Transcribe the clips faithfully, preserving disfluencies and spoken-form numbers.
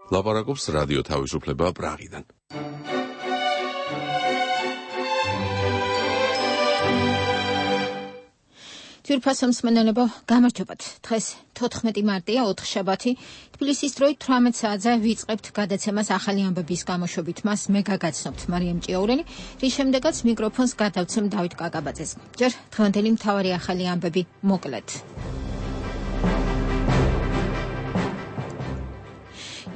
ლაპარაკობს რადიო თავისუფლება პრაღიდან. ძვირფასო მსმენელებო, გამარჯობათ. დღეს თოთხმეტი მარტია, ოთხშაბათი. თბილისის დროით თვრამეტ საათზე ვიწყებთ გადაცემას ახალი ამბების გამოშვებით. მას მე გაგაცნობთ მარიამ ჭიაურელი, რის შემდეგაც მიკროფონს გადავცემ დავით კაკაბაძეს. ჯერ დღევანდელი მთავარი ახალი ამბები მოკლედ.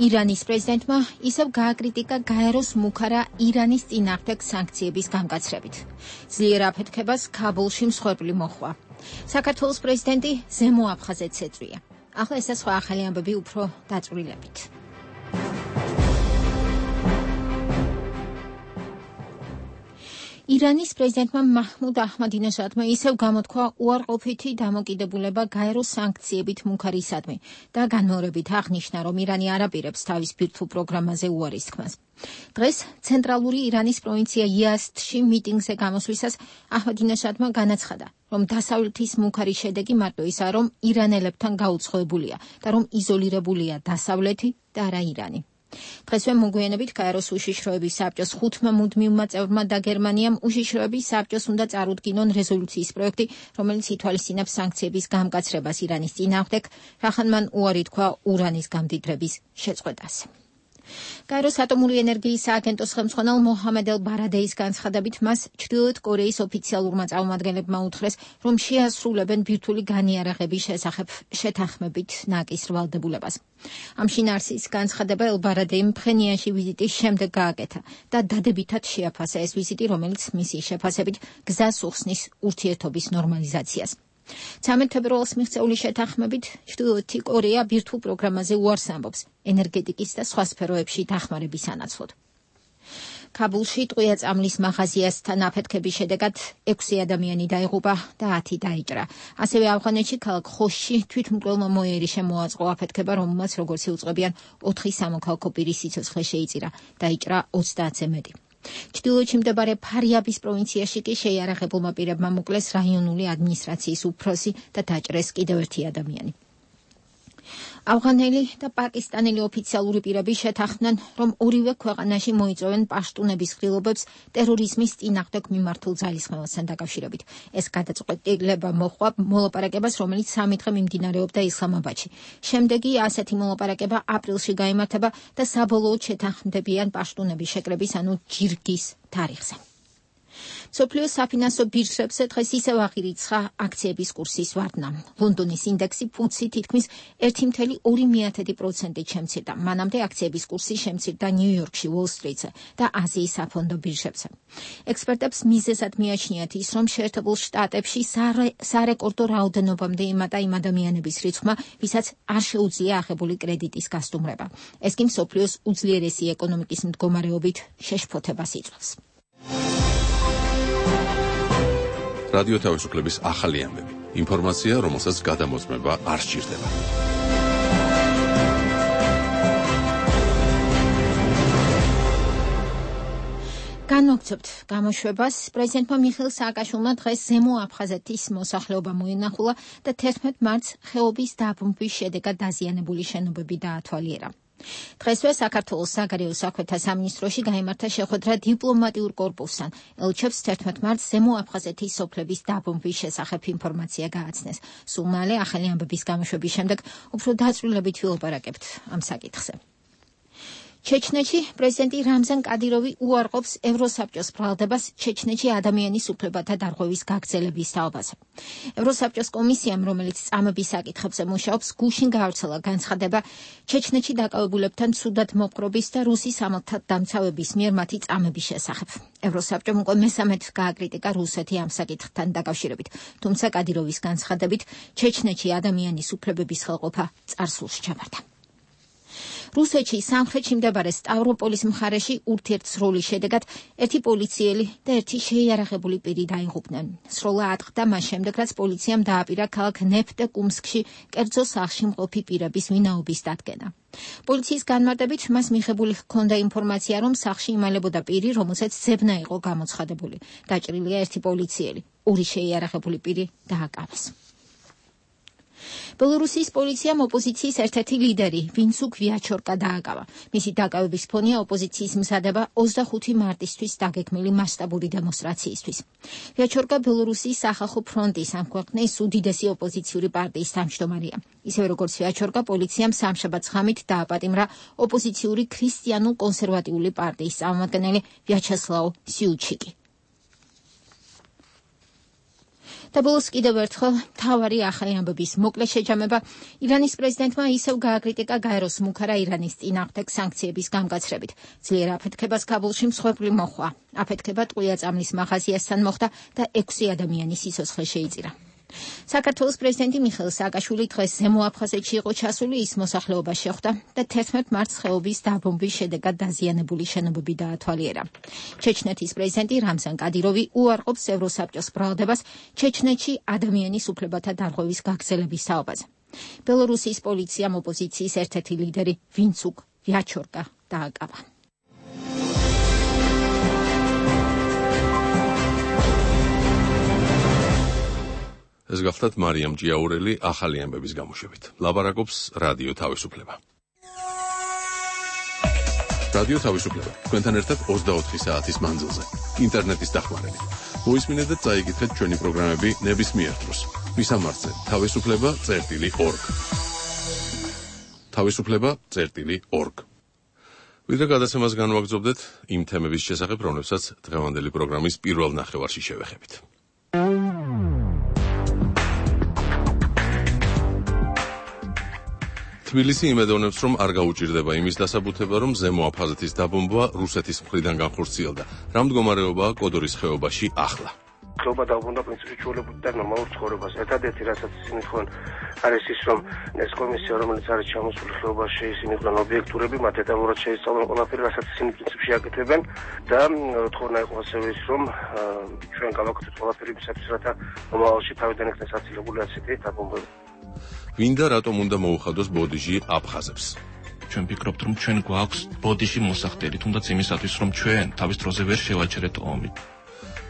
ირანის პრეზიდენტმა ისევ გააკრიტიკა გაეროს მუქარა ირანის წინააღმდეგ სანქციების გამკაცრებით. ძლიერ აფეთქებას ქაბულში მსხვერპლი მოჰყვა. საქართველოს პრეზიდენტი ზემო აფხაზეთს ეწვია. ახლა ეს სხვა ახალი ამბები უფრო დაწვრილებით. ირანის პრეზიდენტმა მაჰმუდ აჰმადინეჟადმა ისევ გამოთქვა უარყოფითი დამოკიდებულება გაეროს სანქციებით მუქარისადმი და განმეორებით აღნიშნა, რომ ირანი არ აპირებს თავის ბირთვულ პროგრამაზე უარის თქმას. დღეს ცენტრალური ირანის პროვინცია იაზდში მიტინგზე გამოსვლისას აჰმადინეჟადმა განაცხადა, რომ დასავლეთის მუქარი შედეგი მარტო ისაა, რომ ირანელებთან გაუცხოებულია და რომ იზოლირებულია დასავლეთი და არა ირანი. დღესვე მოგვიანებით გაეროს უშიშროების საბჭოს ხუთმა მუდმივმა წევრმა და გერმანიამ უშიშროების საბჭოს უნდა წარუდგინონ რეზოლუციის პროექტი, რომელიც ითვალისწინებს სანქციების გამკაცრებას ირანის წინააღმდეგ, რახან მან უარი თქვა ურანის გამდიდრების შეწყვეტას. გაეროს ატომური ენერგიის სააგენტოს ხელმძღვანელ მოჰამედ ელ-ბარადეის განცხადებით, მას ჩრდილოეთ კორეის ოფიციალურმა წარმომადგენლებმა უთხრეს, რომ შეასრულებენ ბირთვული განიარაღების შესახებ შეთანხმებით ნაკის ვალდებულებას. ამ შინაარსის განცხადება ელ-ბარადეიმ ფხენიანში ვიზიტის შემდეგ გააკეთა და დადებითად შეაფასა ეს ვიზიტი, რომელიც მისი შეფასებით გზას უხსნის ურთიერთობის ნორმალიზაციას. ცამეტ თებერვალს მიღწეული შეთანხმებით ჩრდილოეთი კორეა ბირთვულ პროგრამაზე უარს ამბობს ენერგეტიკის და სხვა სფეროებში დახმარების სანაცვლოდ. ქაბულში ტყვია წამლის მაღაზიასთან აფეთქების შედეგად ექვსი ადამიანი დაიღუპა და ათი დაიჭრა. ასევე ავღანეთში ქალაქ ხოშში თვითმკვლელმა მოიერი შემოაწყო აფეთქება, რომელმაც როგორც იუწყებიან ოთხი სამოქალაქო პირის სიცოცხლე შეიწირა, დაიჭრა ოცდაათზე მეტი. ჩრდილოეთში მდებარე ფარიაბის პროვინციაში კი შეიარაღებულმა პირებმა მოკლეს რაიონული ადმინისტრაციის უფროსი და დაჭრეს კიდევ ერთი ადამიანი. ავღანელი და პაკისტანელი ოფიციალური პირები შეთანხმდნენ, რომ ორივე ქვეყანაში მოიწვევენ პაშტუნების ღილობებს ტერორიზმის წინააღმდეგ მიმართულ ძალისხმევასთან დაკავშირებით. ეს გადაწყვეტილება მოჰყვა მოლაპარაკებას, რომელიც სამი დღე მიმდინარეობდა ისლამაბადში. შემდეგი ასეთი მოლაპარაკება აპრილში გაიმართება და საბოლოოდ შეთანხმდებიან პაშტუნების შეკრების, ანუ ჯირგის თარიღზე. მსოფლიო საფინანსო ბირჟებზე დღეს ისევ აღირიცხა აქციების კურსის ვარდნა. ლონდონის ინდექსი ფუცი თითქმის ერთი კoma ორი პროცენტით შემცირდა. მანამდე აქციების კურსი შემცირდა ნიუ-იორკში, უოლ-სტრიტზე და აზიის საფონდო ბირჟებზე. ექსპერტებს მიზეზად მიაჩნიათ ის, რომ შეერთებულ შტატებში სარეკორდო რაოდენობამდე იმატა იმ ადამიანების რიცხვმა, ვისაც არ შეუძლია აღებული კრედიტის გასტუმრება. ეს კი მსოფლიოს უძლიერესი ეკონომიკის მდგომარეობით შეშფოთებას იწვევს. რადიო თავისუფლების ახალი ამბები. ინფორმაცია, რომელსაც გადამოწმება არ სჭირდება. განვაგრძობთ გამოშვებას. პრეზიდენტმა მიხეილ სააკაშვილმა დღეს ზემო აფხაზეთის მოსახლეობა მოინახულა და თერთმეტ მარტს ხეობის დაბრუნების შედეგად დაზიანებული შენობები დაათვალიერა. დღესვე საქართველოს საგარეო საქმეთა სამინისტროში გაიმართა შეხვედრა დიპლომატიურ კორპუსთან. ელჩებს თერთმეტ მარტს ზემო აფხაზეთის სოფლების დაბრუნების შესახებ ინფორმაცია გააცნეს. სულ მალე ახალი ამბების გამოშვების შემდეგ უფრო დაწვრილებით ვილაპარაკებთ ამ საკითხზე. ჩეჩნეთში პრეზიდენტი რამზან კადიროვი უარყოფს ევროსაბჭოს ბრალდებას ჩეჩნეთში ადამიანის უფლებათა დარღვევის გაგრძელების თაობაზე. ევროსაბჭოს კომისიამ, რომელიც წამების საკითხებზე მუშაობს, გუშინ გაავრცელა განცხადება ჩეჩნეთში დაკავებულებთან ცუდად მოპყრობის და რუსის სამართალდამცავების მიერ მათი წამების შესახებ. ევროსაბჭომ უკვე მესამედ გააკრიტიკა რუსეთი ამ საკითხთან დაკავშირებით, თუმცა კადიროვის განცხადებით ჩეჩნეთში ადამიანის უფლებების ხელყოფა წარსულში ჩაბარდა. რუსეთში სამხრეთში მდებარე სტავროპოლის მხარეში ურთიერთსროლის შედეგად ერთი პოლიციელი და ერთი შეიარაღებული პირი დაიღუპნენ. სროლა ატყდა მას შემდეგ, რაც პოლიციამ დააპირა ქალაქ ნეფტეკუმსკში კერძო სახლში მყოფი პირების ვინაობის დადგენა. პოლიციის განმარტებით მას მიღებული ჰქონდა ინფორმაცია, რომ სახლში იმალებოდა პირი, რომელსაც ძებნა იყო გამოცხადებული. დაჭრილია ერთი პოლიციელი, ორი შეიარაღებული პირი დააკავეს. ბელორუსიის პოლიციამ ოპოზიციის ერთ-ერთი ლიდერი ვინცუკ ვიაჩორკა დააკავა. მისი დაკავების ფონია ოპოზიციის მზადება ოცდახუთი მარტისთვის დაგეგმილი მასშტაბური დემონსტრაციისთვის. ვიაჩორკა ბელორუსიის სახალხო ფრონტის ამ ქვეყნის უდიდესი ოპოზიციური პარტიის თავმჯდომარეა. ისევე როგორც ვიაჩორკა, პოლიციამ სამშაბათს ღამით დააპატიმრა ოპოზიციური ქრისტიანულ კონსერვატიული პარტიის წარმომადგენელი ვიაჩესლავ სიუჩიკი. და ბოლოს კიდევ ერთხელ მთავარი ახალი ამბების მოკლე შეჯამება. ირანის პრეზიდენტმა ისევ გააკრიტიკა გაეროს მუქარა ირანის წინააღმდეგ სანქციების გამკაცრებით. ძლიერ აფეთქებას ქაბულში მსხვერპლი მოჰყვა. აფეთქება ტყვია წამლის მაღაზიასთან მოხდა და ექვსი ადამიანის სიცოცხლე შეიწირა. საქართველოს პრეზიდენტი მიხეილ სააკაშვილი დღეს ზემო აფხაზეთში იყო ჩასული, ის მოსახლეობას შეხვდა და თერთმეტ მარტს ხეობის დაბომბვის შედეგად დაზიანებული შენობები დაათვალიერა. ჩეჩნეთის პრეზიდენტი რამზან კადიროვი უარყოფს ევროსაბჭოს ბრალდებას ჩეჩნეთში ადამიანის უფლებათა დარღვევის გაგრძელების თაობაზე. ბელორუსიის პოლიციამ ოპოზიციის ერთ-ერთი ლიდერი ვინცუკ ვიაჩორკა დააკავა. ეს გახლდათ მარიამ ჭიაურელი ახალი ამბების გამოშვებით. ლაბარაკობს რადიო თავისუფლება. რადიო თავისუფლება. თქვენთან ერთად ოცდაოთხი საათის მანძილზე. ინტერნეტის დახმარებით. მოისმინეთ და წაიკითხეთ ჩვენი პროგრამები ნებისმიერ დროს. მისამართზე თავისუფლება წერტილი ორგ. თავისუფლება წერტილი ორგ. ვიდრე გადაცემას განვაგრძობდეთ იმ თემების შესახებ, რომლებსაც დღევანდელი პროგრამის პირველ ნახევარში შევეხებით. თბილისი იმედოვნებს, რომ არ გაუჭირდება იმის დასაბუთება, რომ ზემო აფხაზეთის დაბომბვა რუსეთის მხრიდან განხორციელდა. რა მდგომარეობაა კოდორის ხეობაში ახლა? ხეობა დაუბრუნდა პრინციპში ჩვეულებრივ და ნორმალურ ცხოვრებას. ერთადერთი რასაც ისინი თქვენ არის ის, რომ ეს კომისია, რომელიც არის ჩამოსული ხეობაში, ისინი იყვნენ ობიექტურები, მათ დეტალურად შეისწავლონ ყველაფერი, რასაც ისინი პრინციპში აკეთებენ და თქონა იყო ასევე ის, რომ ჩვენ გავაკეთოთ ყველაფერი იმისათვის, რათა მომავალში თავიდან იქნეს აცილებული ასეთი დაბომბვები. ვინდა რატომ უნდა მოუხადოს ბოდიში აფხაზებს? ჩვენ ვფიქრობთ, რომ ჩვენ გვაქვს ბოდიში მოსახდელი, თუნდაც იმისათვის, რომ ჩვენ თავის დროზე ვერ შევაჩერეთ ომი.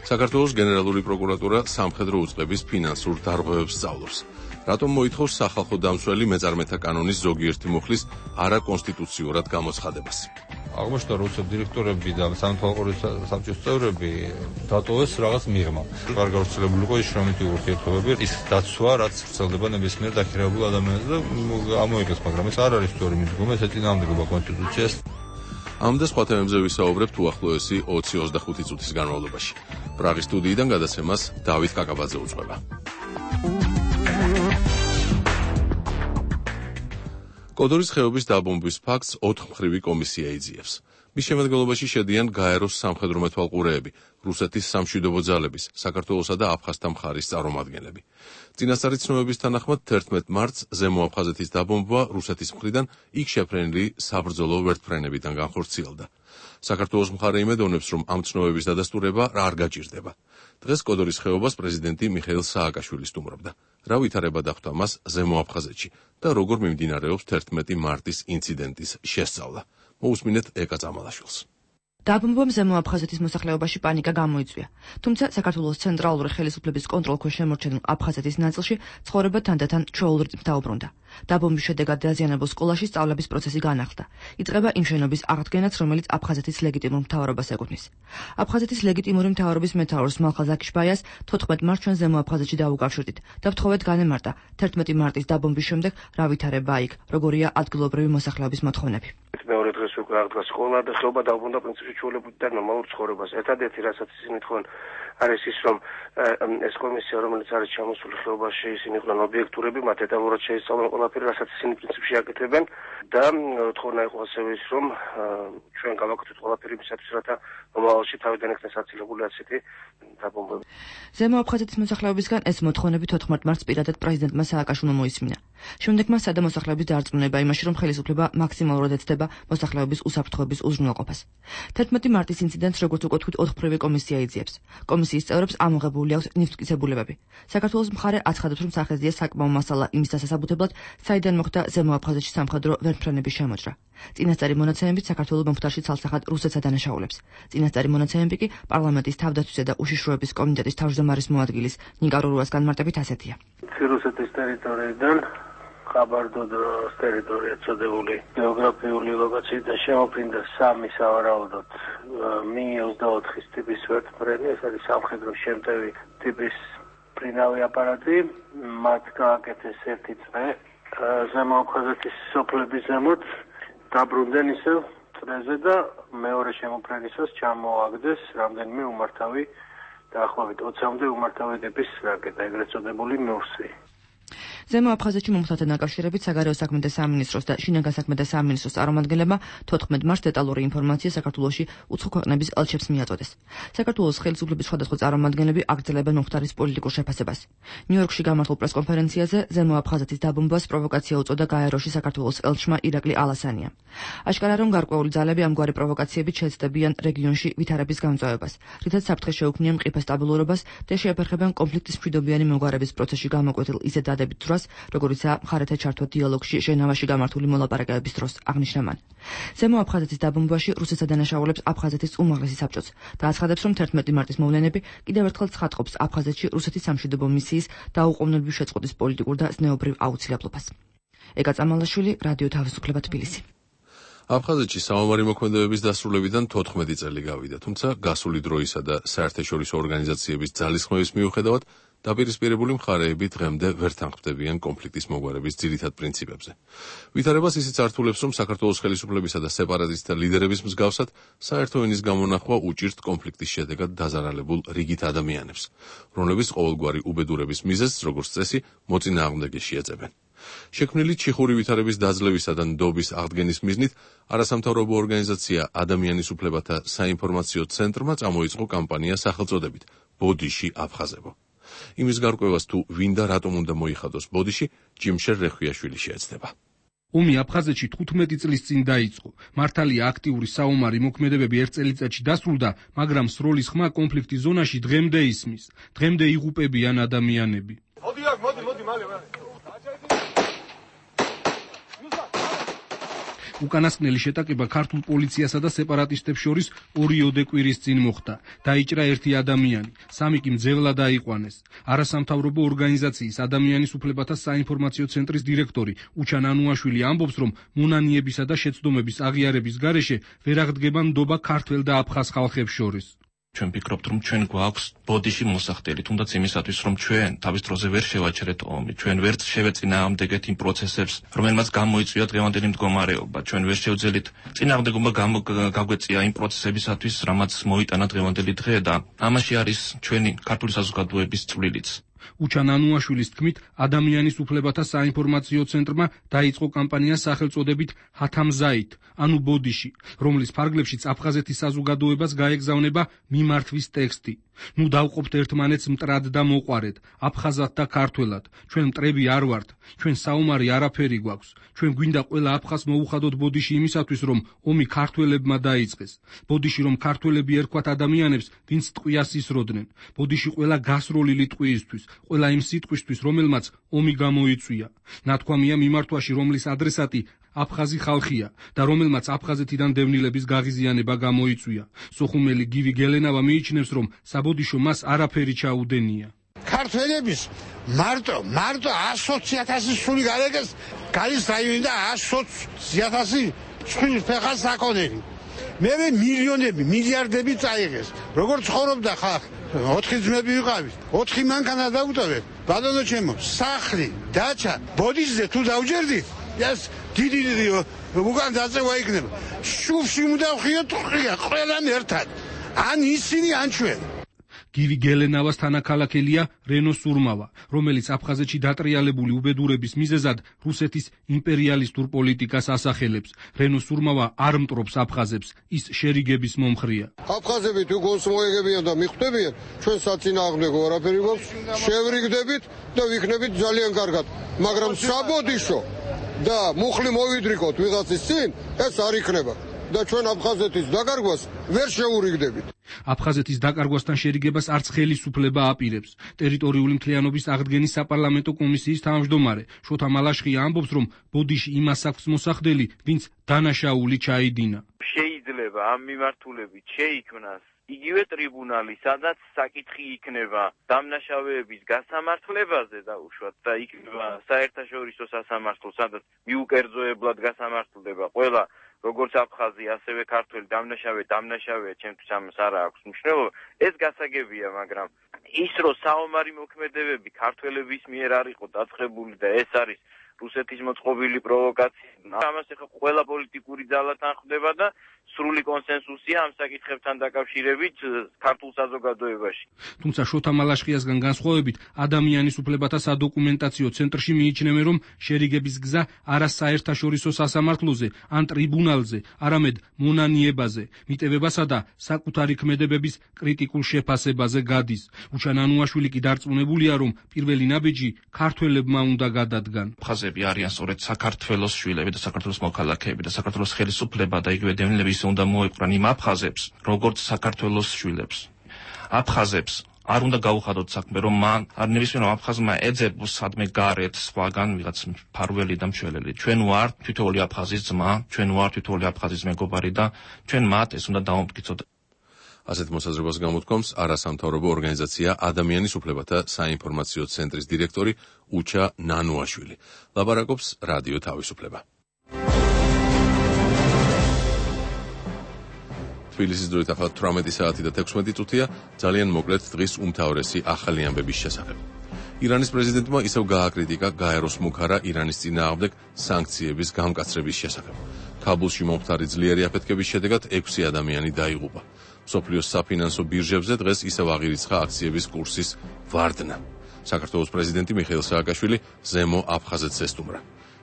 საქართველოს გენერალური პროკურატურა სამხედრო უწყების ფინანსურ დარღვევებს სწავლობს. რატომ მოითხოვს სახალხო დამცველი მეწარმეთა კანონის ზოგიერთი მუხლის არაკონსტიტუციურად გამოცხადებას? აღმოჩნდა, რომ დირექტორები და სამთავრობო საბჭოს წევრები დატოვეს რაღაც მიღმა. არ გავრცელებული იყო ის შრომითი ურთიერთობები, ის დაცვა, რაც ვრცელდება ნებისმიერ დაქირავებულ ადამიანზე და ამოიღეს, მაგრამ ეს არ არის სწორი მიდგომა, ეს ეწინააღმდეგება კონსტიტუციას. ამ და სხვა თემებზე ვისაუბრებთ უახლოესი ოცი ოცდახუთი წუთის განმავლობაში. პრაღის სტუდიიდან გადაცემას დავით კაკაბაძე უძღვება. კოდორის ხეობის დაბომბვის ფაქტს ოთხმხრივი კომისია იძიებს. მის შემადგენლობაში შედიან გაეროს სამხედრო მეთვალყურეები, რუსეთის სამშვიდობო ძალების, საქართველოსა და აფხაზთა მხარის წარმომადგენლები. წინასწარი ცნობების თანახმად თერთმეტ მარტს ზემო აფხაზეთის დაბომბვა რუსეთის მხრიდან იქ შეფრენილი საბრძოლო ვერტმფრენებიდან განხორციელდა. საქართველოს მხარე იმედოვნებს, რომ ამ ცნობების დადასტურება არ გაჭირდება. დღეს კოდორის ხეობას პრეზიდენტი მიხეილ სააკაშვილი სტუმრობდა. რა ვითარება დახვდა მას ზემო აფხაზეთში და როგორ მიმდინარეობს თერთმეტი მარტის ინციდენტის შესწავლა. მოусმინეთ ეკა წამალაშვილს. დაბომბვამ ზემო აფხაზეთის მოსახლეობაში პანიკა გამოიწვია. თუმცა საქართველოს ცენტრალური ხელისუფლების კონტროლქვეშ შემორჩენილ აფხაზეთის ნაწილში ცხოვრება თანდათან ჩვეულ რიტმს დაუბრუნდა. დაბომბვის შედეგად დაზიანებულ სკოლაში სწავლების პროცესი განახლდა. იწყება იმ შენობის აღდგენაც, რომელიც აფხაზეთის ლეგიტიმურ მთავრობას ეკუთვნის. აფხაზეთის ლეგიტიმური მთავრობის მეთაურს მალხაზ აკიშბაიას თოთხმეტ მარტს ჩვენ ზემო აფხაზეთში დაუკავშირდით და ვთხოვეთ განემარტა თერთმეტი მარტის დაბომბვის შემდეგ რა ვითარება იქ, როგორია ადგილობრივი მოსახლეობის მოთხოვნები. მეორე დღეს უკვე აღდგა სკოლა და ხეობა დაუბრუნდა პრინციპში ჩვეულებრივ და ნორმალურ ცხოვრებას. ერთადერთი რასაც ისინი თქვენ არის ის, რომ ეს კომისია, რომელიც არის ჩამოსული ხეობაში, ისინი იყვნენ ობიექტურები, მათ დეტალურად შეისწავლონ ყველაფერი, რასაც ისინი პრინციპში აკეთებენ და თქონა იყო ასევე ის, რომ ჩვენ გავაკეთოთ ყველაფერი იმისათვის, რათა მომავალში თავიდან იქნეს აცილებული ასეთი დაბომბვები. ზემო აფხაზეთის მოსახლეობისგან ეს მოთხოვნები თოთხმეტ მარტს პირადად პრეზიდენტმა სააკაშვილმა მოისმინა. შემდეგ მას სადა მოსახლეობის დარწმუნება იმაში, რომ ხელისუფლება მაქსიმალურად ეცდება მოსახლეობის უსაფრთხოების უზრუნველყოფას. თერთმეტი მარტის ინციდენტს, როგორც უკვე თქვით, ოთხმხრივი კომისია იძიებს. კომისიის წევრებს ამოღებული აქვს ნივთმტკიცებულებები. საქართველოს მხარე აცხადებს, რომ სახეზია საკმაო მასალა იმის დასასაბუთებლად, საიდან მოხდა ზემო აფხაზეთში სამხედრო ვერტმფრენების შემოჭრა. წინასწარი მონაცემებით საქართველოს მომხდარში ცალსახად რუსეთს ადანაშაულებს. წინასწარი მონაცემები კი პარლამენტის თავდაცვისა და უშიშროების კომიტეტის თავმჯდომარის მოადგილის ნიკა რურუას განმარტებით ასეთია. რუსეთის ტერიტორიიდან ხაბარდოდროს ტერიტორია წოდებული გეოგრაფიული ლოკაციიდან შემოფრინდა სამი სავარაუდოდ მი ოცდაოთხის ტიპის ვერტმფრენი, ეს არის სამხედრო შემტევი ტიპის ფრინავი აპარატი, მათ გააკეთეს ერთი წრე ზემო აფხაზეთის სოფლების ზემოთ, დაბრუნდნენ ისევ წრეზე და მეორე შემოფრენისას ჩამოაგდეს რამდენიმე უმართავი დაახლოებით ოცამდე უმართავი ტიპის რაკეტა, ეგრეთ წოდებული ნურსი. ზემო აფხაზეთში მომხდართან დაკავშირებით საგარეო საქმეთა სამინისტროს და შინაგან საქმეთა სამინისტროს წარმომადგენლებმა თოთხმეტ მარტს დეტალური ინფორმაცია საქართველოში უცხო ქვეყნების ელჩებს მიაწოდეს. საქართველოს ხელისუფლების სხვადასხვა წარმომადგენლები აგრძელებენ მომხდარის პოლიტიკურ შეფასებას. ნიუ-იორკში გამართულ პრესკონფერენციაზე ზემო აფხაზეთის დაბომბვას პროვოკაცია უწოდა გაეროში საქართველოს ელჩმა ირაკლი ალასანიამ. აშკარა რომ გარკვეული ძალები ამგვარი პროვოკაციებით შეეცდებიან რეგიონში ვითარების გამწვავებას, რითაც საფრთხე შეუქმნია მყიფე სტაბილურობას და შეაფერხებენ კონფლიქტის მშვიდობიანი მოგვარების პროცესში გამოკვეთილ ისეთ დადებით დროს, როგორიცაა მხარეთა ჩართვა დიალოგში ჟენევაში გამართული მოლაპარაკებების დროს, აღნიშნა მან. ზემო აფხაზეთის დაბომბვაში რუსეთს ადანაშაულებს აფხაზეთის უმაღლესი საბჭოც და აცხადებს, რომ თერთმეტი მარტის მოვლენები კიდევ ერთხელ ცხადყოფს აფხაზეთში რუსეთის სამშვიდობო მისიის დაუყოვნებლივ შეწყვეტის პოლიტიკურ და ზნეობრივ აუცილებლობას. ეკა წამალაშვილი, რადიო თავისუფლება, თბილისი. აფხაზეთში საომარი მოქმედებების დასრულებიდან თოთხმეტი წელი გავიდა, თუმცა გასული დროისა და საერთაშორისო ორგანიზაციების ძალისხმევის მიუხედავად დაპირისპირებული მხარეები დღემდე ვერ თანხმდებიან კონფლიქტის მოგვარების ძირითად პრინციპებზე. ვითარებას ისიც ართულებს, რომ საქართველოს ხელისუფლებისა და სეპარატისტთა ლიდერების მსგავსად საერთო ენის გამონახვა უჭირთ კონფლიქტის შედეგად დაზარალებულ რიგით ადამიანებს, რომლებიც ყოველგვარი უბედურების მიზეზს, როგორც წესი, მოწინააღმდეგეში ეწებენ. შექმნილი ჩიხური ვითარების დაძლევისა და ნდობის აღდგენის მიზნით არასამთავრობო ორგანიზაცია ადამიანის უფლებათა საინფორმაციო ცენტრმა წამოიწყო კამპანია სახელწოდებით ბოდიში აფხაზებო. იმის გარკვევას თუ ვინ და რატომ უნდა მოიხადოს ბოდიში, ჯიმშერ რეხვიაშვილი შეეცდება. ომი აფხაზეთში თხუთმეტი წლის წინ დაიწყო. მართალია აქტიური საომარი მოქმედებები ერთ წელიწადში დასრულდა, მაგრამ სროლის ხმა კონფლიქტის ზონაში დღემდე ისმის. დღემდე იღუპებიან ადამიანები. მოდი აქ, მოდი, მოდი, მალე, მალე. უკანასკნელი შეტაკება ქართულ პოლიციასა და სეპარატისტებს შორის ორიოდე კვირის წინ მოხდა. დაიჭრა ერთი ადამიანი, სამი კი მძევლად აიყვანეს. არასამთავრობო ორგანიზაციის ადამიანის უფლებათა საინფორმაციო ცენტრის დირექტორი უჩან ანუაშვილი ამბობს, რომ მონანიებისა და შეცდომების აღიარების გარეშე ვერ აღდგება ნდობა ქართველ და აფხაზ ხალხებს შორის. ჩვენ ვფიქრობთ, რომ ჩვენ გვაქვს ბოდიში მოსახდელი, თუნდაც იმისათვის, რომ ჩვენ თავის დროზე ვერ შევაჩერეთ ომი, ჩვენ ვერ შევეწინააღმდეგეთ იმ პროცესებს, რომელმაც გამოიწვია დღევანდელი მდგომარეობა, ჩვენ ვერ შევძელით წინააღმდეგობა გაგვეწია იმ პროცესებისათვის, რამაც მოიტანა დღევანდელი დღე და ამაში არის ჩვენი ქართული საზოგადოების წვლილიც. უჩან ანუაშვილის თქმით, ადამიანის უფლებათა საინფორმაციო ცენტრმა დაიწყო კამპანია სახელწოდებით ჰათამზაით, ანუ ბოდიში, რომლის ფარგლებშიც აფხაზეთის საზოგადოებას გაეგზავნება მიმართვის ტექსტი. ნუ დავყოფთ ერთმანეთს მტრად და მოყვარეთ, აფხაზად და ქართველად. ჩვენ მტრები არ ვართ, ჩვენ საომარი არაფერი გვაქვს. ჩვენ გვინდა ყველა აფხაზს მოუხადოთ ბოდიში იმისათვის, რომ ომი ქართველებმა დაიწყეს. ბოდიში რომ ქართველები ერქვათ ადამიანებს, ვინც ტყვიას ისროდნენ. ბოდიში ყველა გასროლილი ტყვიისთვის, ყველა იმ სიტყვისთვის, რომელმაც ომი გამოიწვია. ნათქვამია მიმართვაში, რომლის ადრესატი აფხაზი ხალხია და რომელმაც აფხაზეთიდან დევნილების გაღიზიანება გამოიწვია. სოხუმელი გივი გელენავა მიიჩნევს, რომ საბოდიშო მას არაფერი ჩაუდენია. ქართველების მარტო მარტო ათი ათასი სული გარეკეს გალის რაიონი და ათი ათასი სული ფეხა საკონელი. მე მილიონები, მილიარდები წაიღეს. როგორ ცხოვრობდა ხალხი? ოთხი ძმები ვიყავით. ოთხი მანქანა დაუტოვეთ. ბატონო ჩემო, სახლი, დაჩა, ბოდიშზე თუ დავჯერდით, ეს დიდი დიდი უკან დაწევა იქნება. შუბში უნდა ვხიოთ ყრია, ყველამ ერთად. ან ისინი, ან ჩვენ. გივი გელენავას თანაქალაქელია რენო სურმავა, რომელიც აფხაზეთში დატრიალებული უბედურების მიზეზად რუსეთის იმპერიალისტურ პოლიტიკას ასახელებს. რენო სურმავა არ მტრობს აფხაზებს, ის შერიგების მომხრია. აფხაზები თუ გონს მოეგებიან და მიხვდებიან, ჩვენ საწინააღმდეგო არაფერი გვაქვს, შევრიგდებით და ვიქნებით ძალიან კარგად. მაგრამ საბოდიშო და მუხლი მოვიდრიკოთ ვიღაცის წინ, ეს არ იქნება. და ჩვენ აფხაზეთის დაკარგვას ვერ შეურიგდებით. აფხაზეთის დაკარგვასთან შერიგებას არც ხელისუფლება აპირებს. ტერიტორიული მთლიანობის აღდგენის საპარლამენტო კომისიის თავმჯდომარე შოთა მალაშხია ამბობს, რომ ბოდიში იმას აქვს მოსახდელი, ვინც დანაშაული ჩაიდინა. შეიძლება ამ მიმართულებით შეიქმნას იგივე ტრიბუნალი, სადაც საკითხი იქნება დამნაშავეების გასამართლებაზე დაუშვათ და იქნება საერთაშორისო სასამართლო, სადაც მიუკერძოებლად გასამართლდება ყველა როგორც აფხაზი, ასევე ქართველი დამნაშავე, დამნაშავეა, ჩემთვის ამას არ აქვს მნიშვნელობა. ეს გასაგებია, მაგრამ ის რომ საომარი მოქმედებები ქართველების მიერ არ იყო დაწყებული და ეს არის რუსეთის მოწყობილი პროვოკაცია. ამას ახლა ყველა პოლიტიკური ძალა თანხმდება და სრული კონსენსუსია ამ საკითხებთან დაკავშირებით ქართულ საზოგადოებაში. თუმცა შოთა მალაშხიასგან განსხვავებით, ადამიანის უფლებათა სადოკუმენტაციო ცენტრში მიიჩნევენ, რომ შერიგების გზა არა საერთაშორისო სასამართლოზე ან ტრიბუნალზე, არამედ მონანიებაზე, მიტევებასა და საკუთარი ქმედებების კრიტიკულ შეფასებაზე გადის. უჩა ნანუაშვილი კი დარწმუნებულია, რომ პირველი ნაბიჯი ქართველებმა უნდა გადადგან. აფხაზები არიან სწორედ საქართველოს შვილები და საქართველოს მოქალაქეები და საქართველოს ხელისუფლება და იგივე დევნილები უნდა მოეყრან იმ აფხაზებს, როგორც საქართველოს შვილებს. აფხაზებს არ უნდა გაუხადოთ საქმე, რომ მან არ ნებისმიერ აფხაზმა ეძებოს სადმე გარეთ სხვაგან ვიღაც მფარველი და მშველელი. ჩვენ ვართ თითოეული აფხაზის ძმა, ჩვენ ვართ თითოეული აფხაზის მეგობარი და ჩვენ მათ ეს უნდა დავამტკიცოთ. ასეთ მოსაზრებას გამოთქვამს არასამთავრობო ორგანიზაცია ადამიანის უფლებათა საინფორმაციო ცენტრის დირექტორი უჩა ნანუაშვილი. ლაპარაკობს რადიო თავისუფლება. თბილისის დროით ახლა თვრამეტი საათი და თექვსმეტი წუთია, ძალიან მოკლედ დღის უმთავრესი ახალი ამბების შესახებ. ირანის პრეზიდენტმა ისევ გააკრიტიკა გაეროს მუქარა ირანის წინააღმდეგ სანქციების გამკაცრების შესახებ. ქაბულში მომხდარი ძლიერი აფეთქების შედეგად ექვსი ადამიანი დაიღუპა. მსოფლიოს საფინანსო ბირჟებზე დღეს ისევ აღირიცხა აქციების კურსის ვარდნა. საქართველოს პრეზიდენტი მიხეილ სააკაშვილი ზემო აფხაზეთს ესტუმრა.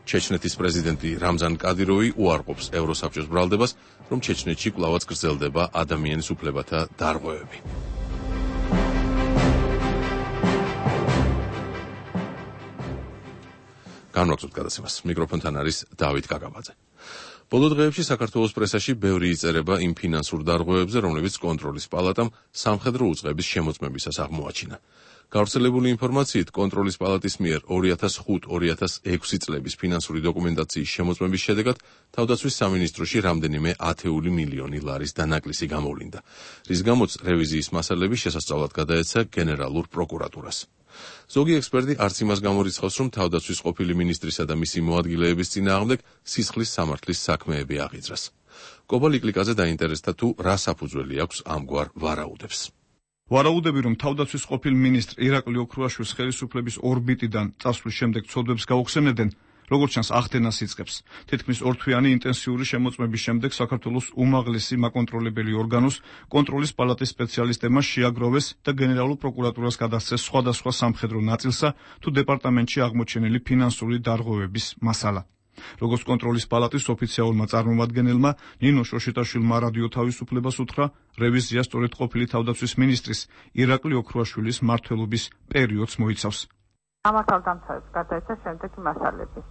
ჩეჩნეთის პრეზიდენტი რამზან კადიროვი უარყოფს ევროსაბჭოს ბრალდებას, რომ ჩეჩნეთში კვლავაც გრძელდება ადამიანის უფლებათა დარღვევები. განვაგრძობთ გადაცემას. მიკროფონთან არის დავით კაკაბაძე. ბოლო დღეებში საქართველოს პრესაში ბევრი იწერება იმ ფინანსურ დარღვევებზე, რომლებიც კონტროლის პალატამ სამხედრო უწყების შემოწმებისას აღმოაჩინა. გავრცელებული ინფორმაციით, კონტროლის პალატის მიერ ორი ათას ხუთი ორი ათას ექვსი წლების ფინანსური დოკუმენტაციის შემოწმების შედეგად თავდაცვის სამინისტროში რამდენიმე ათეული მილიონი ლარის დანაკლისი გამოვლინდა, რის გამოც რევიზიის მასალები შესასწავლად გადაეცა გენერალურ პროკურატურას. ზოგი ექსპერტი არც იმას გამორიცხავს, რომ თავდაცვის ყოფილი მინისტრისა და მისი მოადგილეების წინააღმდეგ სისხლის სამართლის საქმეები აღიძრას. კობა ლიკლიკაძე დაინტერესდა თუ რა საფუძველი აქვს ამგვარ ვარაუდებს. ვარაუდები, რომ თავდაცვის ყოფილ მინისტრ ირაკლი ოქრუაშვილის ხელისუფლების ორბიტიდან წასვლის შემდეგ ცოდვებს გაუხსენებდნენ, როგორც ჩანს ახდენას იწყებს. თითქმის ორთვიანი ინტენსიური შემოწმების შემდეგ საქართველოს უმაღლესი მაკონტროლებელი ორგანოს კონტროლის პალატის სპეციალისტებმა შეაგროვეს და გენერალურ პროკურატურას გადასცეს სხვადასხვა სამხედრო ნაწილსა თუ დეპარტამენტში აღმოჩენილი ფინანსური დარღვევების მასალა. როგორც კონტროლის პალატის ოფიციალურმა წარმომადგენელმა ნინო შოშიტაშვილმა რადიო თავისუფლებას უთხრა, რევიზია სწორედ ყოფილი თავდაცვის მინისტრის ირაკლი ოქრუაშვილის მმართველობის პერიოდს მოიცავს. სამართალდამცავებს გადაეცა შემდეგი მასალები.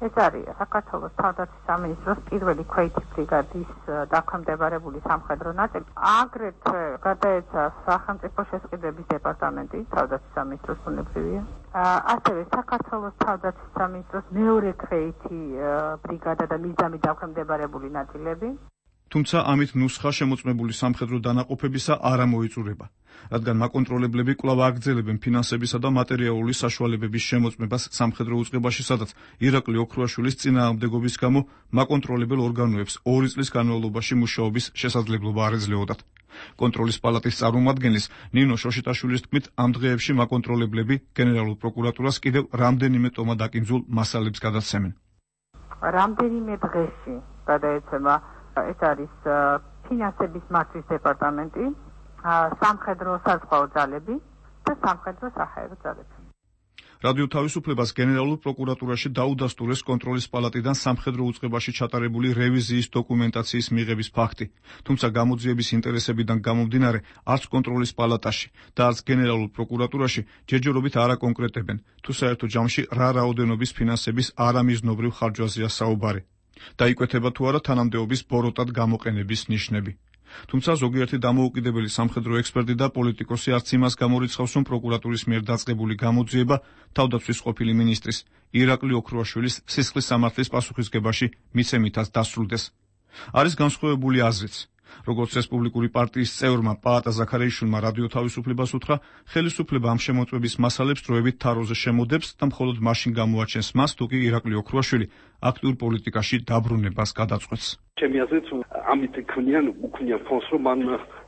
ეს არის საქართველოს თავდაცვის სამინისტროს პირველი ქვეითი ბრიგადის დაქვემდებარებული სამხედრო ნაწილი. აგრეთვე გადაეცა სახელმწიფო შესყიდვების დეპარტამენტი, თავდაცვის სამინისტროს ბუნებრივია. ასევე საქართველოს თავდაცვის სამინისტროს მეორე ქვეითი ბრიგადა და მისდამი დაქვემდებარებული ნაწილები. თუმცა ამით ნუსხა შემოწმებული სამხედრო დანაყოფებისა არ ამოიწურება, რადგან მაკონტროლებლები კვლავ აგრძელებენ ფინანსებისა და მატერიალური საშუალებების შემოწმებას სამხედრო უწყებაში, სადაც ირაკლი ოქრუაშვილის წინააღმდეგობის გამო მაკონტროლებელ ორგანოებს ორი წლის განმავლობაში მუშაობის შესაძლებლობა არ ეძლეოდათ. კონტროლის პალატის წარმომადგენლის ნინო შოშიტაშვილის თქმით, ამ დღეებში მაკონტროლებლები გენერალურ პროკურატურას კიდევ რამდენიმე ტომა დაკინძულ მასალებს გადაცემენ. რამდენიმე დღეში გადაეცემა ეს არის ფინანსების მართვის დეპარტამენტი, სამხედრო საზღვაო ძალები და სამხედრო საჰაერო ძალები. რადიო თავისუფლებას გენერალურ პროკურატურაში დაუდასტურეს კონტროლის პალატიდან სამხედრო უწყებაში ჩატარებული რევიზიის დოკუმენტაციის მიღების ფაქტი, თუმცა გამოძიების ინტერესებიდან გამომდინარე, არც კონტროლის პალატაში და არც გენერალურ პროკურატურაში ჯერჯერობით არ აკონკრეტებენ, თუ საერთო ჯამში რა რაოდენობის ფინანსების არამიზნობრივ ხარჯვაზეა საუბარი. დაიკვეთება თუ არა თანამდებობის ბოროტად გამოყენების ნიშნები. თუმცა ზოგიერთი დამოუკიდებელი სამხედრო ექსპერტი და პოლიტიკოსი არც იმას გამორიცხავს, რომ პროკურატურის მიერ დაწყებული გამოძიება თავდაცვის ყოფილი მინისტრის ირაკლი ოქრუაშვილის სისხლის სამართლის პასუხისგებაში მიცემითაც დასრულდეს. არის განსხვავებული აზრიც. როგორც რესპუბლიკური პარტიის წევრმა პაატა ზაქარიაშვილმა რადიო თავისუფლებას უთხრა, ხელისუფლება ამ შემოწმების მასალებს დროებით თაროზე შემოდებს და მხოლოდ მაშინ გამოაჩენს მას, თუ კი ირაკლი ოქრუაშვილი აქტიურ პოლიტიკაში დაბრუნებას გადაწყვეტს. ჩემი აზრით, ამით ქმნიან უქმნიან ფონს, რომ მან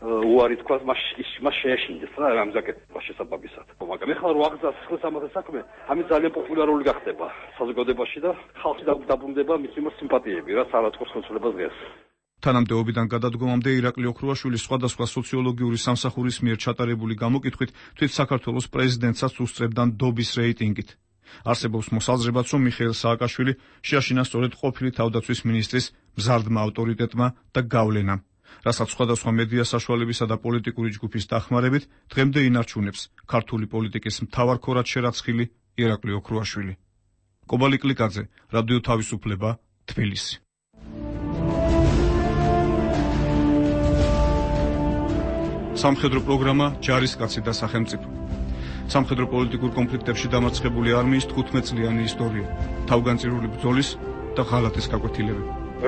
უარი თქვას მას მას შეეშინდეს რა ამ ზაკეთებას შესაბამისად. მაგრამ ეხლა რო აღზას ხოს ამაზე საქმე, ამით ძალიან პოპულარული გახდება საზოგადოებაში და ხალხი დაბრუნდება მის მიმართ სიმპათიები რა სალაწყოს ხოცლებას დღეს. თანამდებობიდან გადადგომამდე ირაკლი ოქრუაშვილი სხვადასხვა სოციოლოგიური სამსახურის მიერ ჩატარებული გამოკითხვით თვით საქართველოს პრეზიდენტსაც უსწრებდა ნდობის რეიტინგით. არსებობს მოსაზრებაც, რომ მიხეილ სააკაშვილი შეაშინა სწორედ ყოფილი თავდაცვის მინისტრის მზარდმა ავტორიტეტმა და გავლენამ, რასაც სხვადასხვა მედია საშუალებისა და პოლიტიკური ჯგუფის დახმარებით დღემდე ინარჩუნებს ქართული პოლიტიკის მთავარ ქორად შერაცხილი ირაკლი ოქრუაშვილი. კობალი კლიკაძე, რადიო თავისუფლება, თბილისი. სამხედრო პროგრამა ჯარისკაცი და სახელმწიფო. სამხედრო პოლიტიკურ კონფლიქტებში დამარცხებული არმიის თხუთმეტწლიანი ისტორია, თავგანწირული ბრძოლის და ღალატის გაკვეთილები.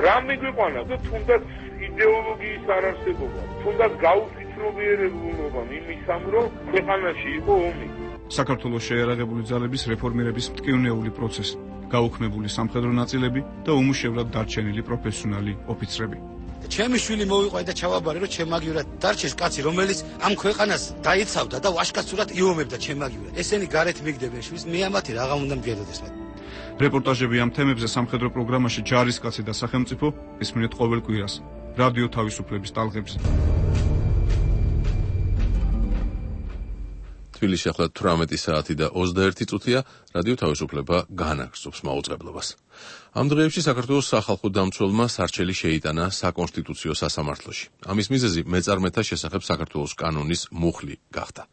რა მიგვიყვანა და თუნდაც იდეოლოგიის არარსებობა, თუნდაც გაუფიცრობიერებულობა იმისამ, რომ ქვეყანაში იყო ომი. საქართველოს შეიარაღებული ძალების რეფორმირების მტკივნეული პროცესი, გაუქმებული სამხედრო ნაწილები და უმუშევრად დარჩენილი პროფესიონალი ოფიცრები. ჩემი შვილი მოვიყვანა და ჩავაბარე, რომ ჩემაგივრად დარჩეს კაცი, რომელიც ამ ქვეყანას დაიცავდა და ვაჟკაცურად იომებდა ჩემაგივრად. ესენი გარეთ მიგდებენ შვილს, მე ამათი რაღა უნდა მგედოდეს მათ. რეპორტაჟები ამ თემებზე სამხედრო პროგრამაში ჯარისკაცი და სახელმწიფო ისმენთ ყოველ კვირას რადიო თავისუფლების ტალღებზე. თბილისში ახლა თვრამეტი საათი და ოცდაერთი წუთია, რადიო თავისუფლება განაგრძობს მაუწყებლობას. ამ დღეებში საქართველოს სახალხო დამცველმა სარჩელი შეიტანა საკონსტიტუციო სასამართლოში. ამის მიზეზი მეწარმეთა შესახებ საქართველოს კანონის მუხლი გახდა,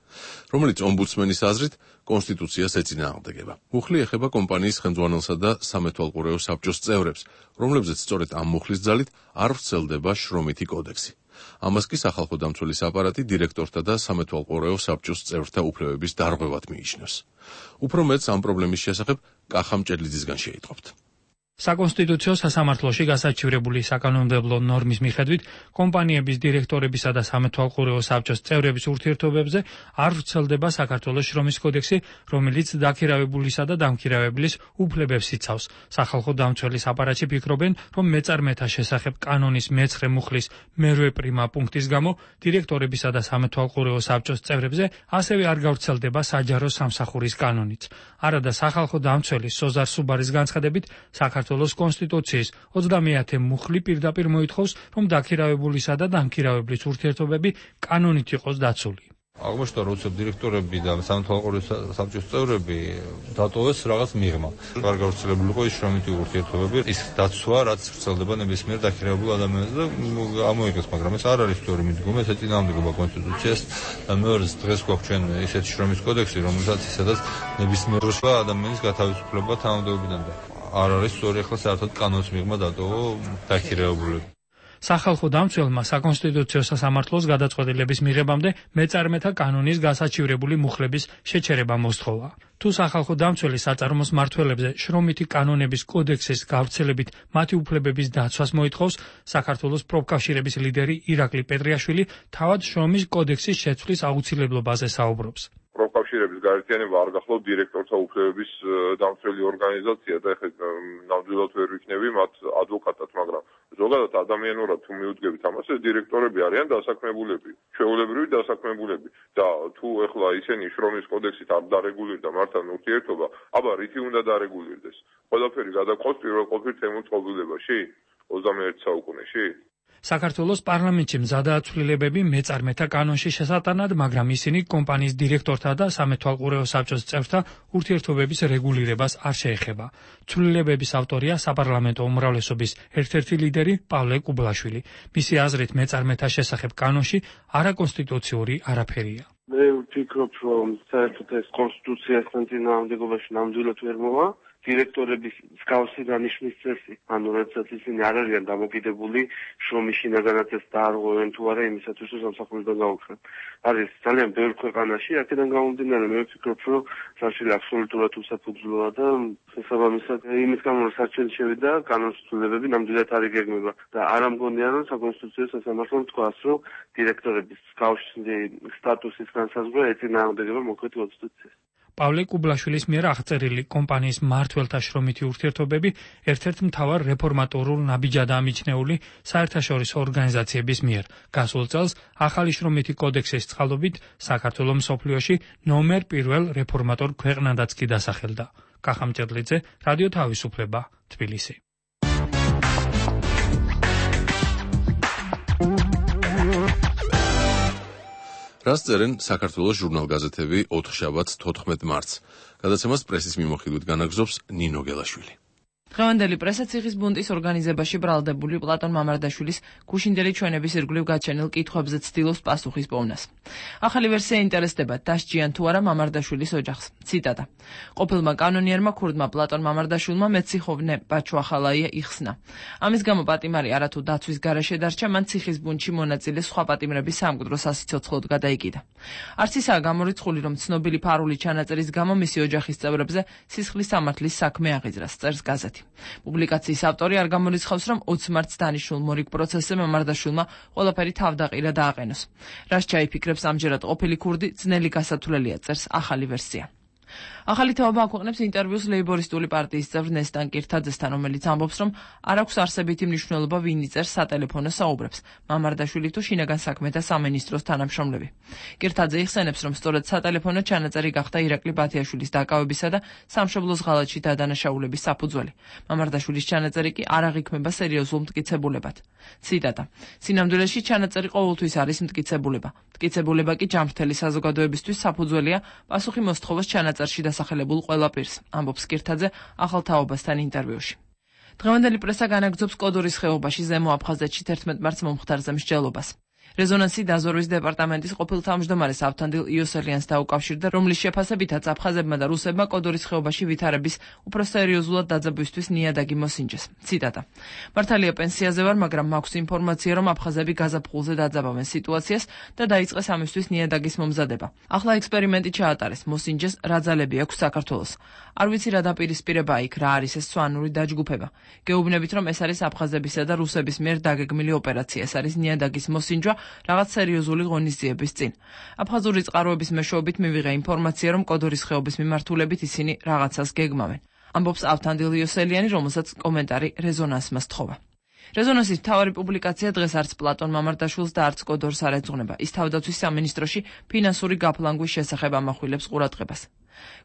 რომელიც ომბუდსმენის აზრით კონსტიტუციას ეწინააღმდეგება. მუხლი ეხება კომპანიის ხელმძღვანელსა და სამეთვალყურეო საბჭოს წევრებს, რომლებზეც სწორედ ამ მუხლის ძალით არ ვრცელდება შრომითი კოდექსი. ამას კი სახალხო დამცველის აპარატი დირექტორთა და სამეთვალყურეო საბჭოს წევრთა უფლებების დარღვევად მიიჩნევს. უფრო მეტს ამ პრობლემის შესახებ კახა მჭედლიძისგან შეიტყობთ. საკონსტიტუციო სასამართლოში გასაჩივრებული საკანონმდებლო ნორმის მიხედვით კომპანიების დირექტორებისა და სამეთვალყურეო საბჭოს წევრების ურთიერთობებზე არ ვრცელდება საქართველოს შრომის კოდექსი, რომელიც დაქირავებულისა და დამქირავებლის უფლებებს იცავს. სახალხო დამცველის აპარატში ფიქრობენ, რომ მეწარმეთა შესახებ კანონის მეცხრე მუხლის მერვე პრიმა პუნქტის გამო დირექტორებისა და სამეთვალყურეო საბჭოს წევრებზე ასევე არ გავრცელდება საჯარო სამსახურის კანონიც. არადა სახალხო დამცველის სოზარ სუბარის განცხადებით, საქართველოს საქართველოს კონსტიტუციის ოცდამეათე მუხლი პირდაპირ მოითხოვს, რომ დაქირავებულისა და დამქირავებლის ურთიერთობები კანონით იყოს დაცული. აღმოჩნდა, რომ დირექტორები და სამეთვალყურეო საბჭოს წევრები დატოვეს რაღაც მიღმა. არ გავრცელებული იყო ის შრომითი ურთიერთობები, ის დაცვა, რაც ვრცელდება ნებისმიერ დაქირავებულ ადამიანზე და ამოიღეს, მაგრამ ეს არ არის სწორი მიდგომა, ეს ეწინააღმდეგება კონსტიტუციას და მეორეს დღეს გვაქვს ჩვენ ისეთი შრომის კოდექსი, რომელსაც ისედაც ნებისმიერ ადამიანის გათავისუფლება თანამდებობიდან და არ არის სწორი ახლა საერთოდ კანონის მიღმა დატოვა დაქირავებულები. სახალხო დამცველმა საკონსტიტუციო სასამართლოს გადაწყვეტილების მიღებამდე მეწარმეთა კანონის გასაჩივრებული მუხლების შეჩერება მოსთხოვა. თუ სახალხო დამცველი საწარმოს მმართველებზე შრომითი კანონების კოდექსის გავრცელებით მათი უფლებების დაცვას მოითხოვს, საქართველოს პროფკავშირების ლიდერი ირაკლი პეტრიაშვილი თავად შრომის კოდექსის შეცვლის აუცილებლობაზე საუბრობს. პროფკავშირების გაერთიანება არ გახლავთ დირექტორთა უფლებების დამცველი ორგანიზაცია და ეხლა ნამდვილად ვერ ვიქნები მათ ადვოკატად, მაგრამ ზოგადად ადამიანურად თუ მიუძგებით ამას, ეს დირექტორები არიან დასაქმებულები, ჩვეულებრივი დასაქმებულები და თუ ეხლა ისინი შრომის კოდექსით არ დარეგულირდა მართლ ურთიერთობა, აბა რითი უნდა დარეგულირდეს? ყველაფერი გადაყავს პირველ ყოფილ თემურ წყობილებაში ოცდამეერთე საუკუნეში? საქართველოს პარლამენტში მზადაა ცვლილებები მეწარმეთა კანონში შესატანად, მაგრამ ისინი კომპანიის დირექტორთა და სამეთვალყურეო საბჭოს წევრთა ურთიერთობების რეგულირებას არ შეეხება. ცვლილებების ავტორია საპარლამენტო უმრავლესობის ერთ-ერთი ლიდერი პავლე კუბლაშვილი. მისი აზრით მეწარმეთა შესახებ კანონში არაკონსტიტუციური არაფერია. მე ვფიქრობ, რომ საერთოდ ეს კონსტიტუციასთან წინააღმდეგობაში ნამდვილად ვერ მოვა. დირექტორების მსგავსი დანიშვნის წესი, ანუ როდესაც ისინი არ არიან დამოკიდებული შრომის შინაგანათებს დაარღვევენ თუ არა იმისათვის, რომ სამსახურიდან გაუქმენ. არის ძალიან ბევრ ქვეყანაში, აქედან გამომდინარე მე ვფიქრობ, რომ საერთოდ აბსოლუტურად უსაფუძვლოა და შესაბამისად იმის გამო რომ საჩვენს შევიდა კანონმდებლობები ნამდვილად არ იგეგმება და არ ამგონია რომ საკონსტიტუციო სასამართლომ თქვას, რომ დირექტორების მსგავსი სტატუსის განსაზღვრა ეწინააღმდეგება მოქმედ კონსტიტუციას. პავლე კუბლაშვილის მიერ აღწერილი კომპანიის მმართველთა შრომითი ურთიერთობები ერთ-ერთ მთავარ რეფორმატორულ ნაბიჯადაა მიჩნეული საერთაშორისო ორგანიზაციების მიერ. გასულ წელს ახალი შრომითი კოდექსის წყალობით საქართველოს მსოფლიოში ნომერ პირველ რეფორმატორ ქვეყნადაც კი დასახელდა. კახამჭედლიძე, რადიო თავისუფლება, თბილისი. რას წერენ საქართველოს ჟურნალ-გაზეთები ოთხშაბათს თოთხმეტ მარტს. გადაცემას პრესის მიმოხილვით განაგზობს ნინო გელაშვილი. დღევანდელი პრესა ციხის ბუნტის ორგანიზებაში ბრალდებული პლატონ მამარდაშვილის გუშინდელი ჩვენების ირგვლივ გაჩენილ კითხვებზე ცდილობს პასუხის პოვნას. ახალი ვერსია ინტერესდება დასჯიან თუ არა მამარდაშვილის ოჯახს. ციტატა. ყოფილმა კანონიერმა ქურდმა პლატონ მამარდაშვილმა მეციხოვნე ბაჩუახალაია იხსნა. ამის გამო პატიმარი არათუ დაცვის გარეშე დარჩა, მან ციხის ბუნტში მონაწილე სხვა პატიმრების სამკვდრო სასიცოცხლოდ გადაიკიდა. არც ისაა გამორიცხული, რომ ცნობილი ფარული ჩანაწერის გამო მისი ოჯახის წევრებზე სისხლის სამართლის საქმე აღიძრას, წერს გაზეთი. პუბლიკაციის ავტორი არ გამორიცხავს, რომ ოცი მარტს დანიშნულ მორიგ პროცესზე მამარდაშვილმა ყველაფერი თავდაყირა დააყენოს. რას ჩაიფიქრებს ამჯერად ყოფილი ქურდი, ძნელი გასათვლელია, წერს ახალი ვერსია. ახალი თაობა აქვეყნებს ინტერვიუს ლეიბორისტული პარტიის წევრ ნესტან კირთაძესთან, რომელიც ამბობს, რომ არ აქვს არსებითი მნიშვნელობა ვინ იწერს სატელეფონო საუბრებს, მამარდაშვილი თუ შინაგან საქმეთა სამინისტროს თანამშრომლები. კირთაძე იხსენებს, რომ სწორედ სატელეფონო ჩანაწერი გახდა ირაკლი ბათიაშვილის დაკავებისა და სამშობლოს ღალატში დადანაშაულების საფუძველი. მამარდაშვილის ჩანაწერი კი არ აღიქმება სერიოზულ მტკიცებულებად. ციტატა. სინამდვილეში ჩანაწერი ყოველთვის არის მტკიცებულება. მტკიცებულება კი ჯანმრთელი საზოგადოებისთვის საფუძველია პასუხი მოსთხოვოს ჩანაწერში დასახელებულ ყველა პირს, ამბობს კირთაძე ახალ თაობასთან ინტერვიუში. დღევანდელი პრესა განაგრძობს კოდორის ხეობაში ზემო აფხაზეთში თერთმეტ მარტს მომხდარზე მსჯელობას. რეზონანსი დაზვერვის დეპარტამენტის ყოფილ თავმჯდომარეს ავთანდილ იოსელიანს დაუკავშირდა, რომლის შეფასებითაც აფხაზებმა და რუსებმა კოდორის ხეობაში ვითარების უფრო სერიოზულად დაძაბვისთვის ნიადაგი მოსინჯეს. ციტატა. მართალია პენსიაზე ვარ, მაგრამ მაქვს ინფორმაცია, რომ აფხაზები გაზაფხულზე დაძაბავენ სიტუაციას და დაიწყეს ამისთვის ნიადაგის მომზადება. ახლა ექსპერიმენტი ჩაატარეს, მოსინჯეს რა ძალები აქვს საქართველოს. არ ვიცი რა დაპირისპირება იქ, რა არის ეს სვანური დაჯგუფება. გეუბნებით, რომ ეს არის აფხაზებისა და რუსების მიერ დაგეგმილი ოპერაცია, ეს არის ნიადაგის მოსინჯვა რაღაც სერიოზული ღონისძიების წინ. აფხაზური წყაროების მეშვეობით მივიღე ინფორმაცია, რომ კოდორის ხეობის მიმართულებით ისინი რაღაცას გეგმავენ. ამბობს ავთანდილ იოსელიანი, რომელსაც კომენტარი რეზონანსმა სთხოვა. რეზონანსის მთავარი პუბლიკაცია დღეს არც პლატონ მამარდაშვილს და არც კოდორს არ ეძღვნება. ის თავდაცვის სამინისტროში ფინანსური გაფლანგვის შესახებ ამახვილებს ყურადღებას.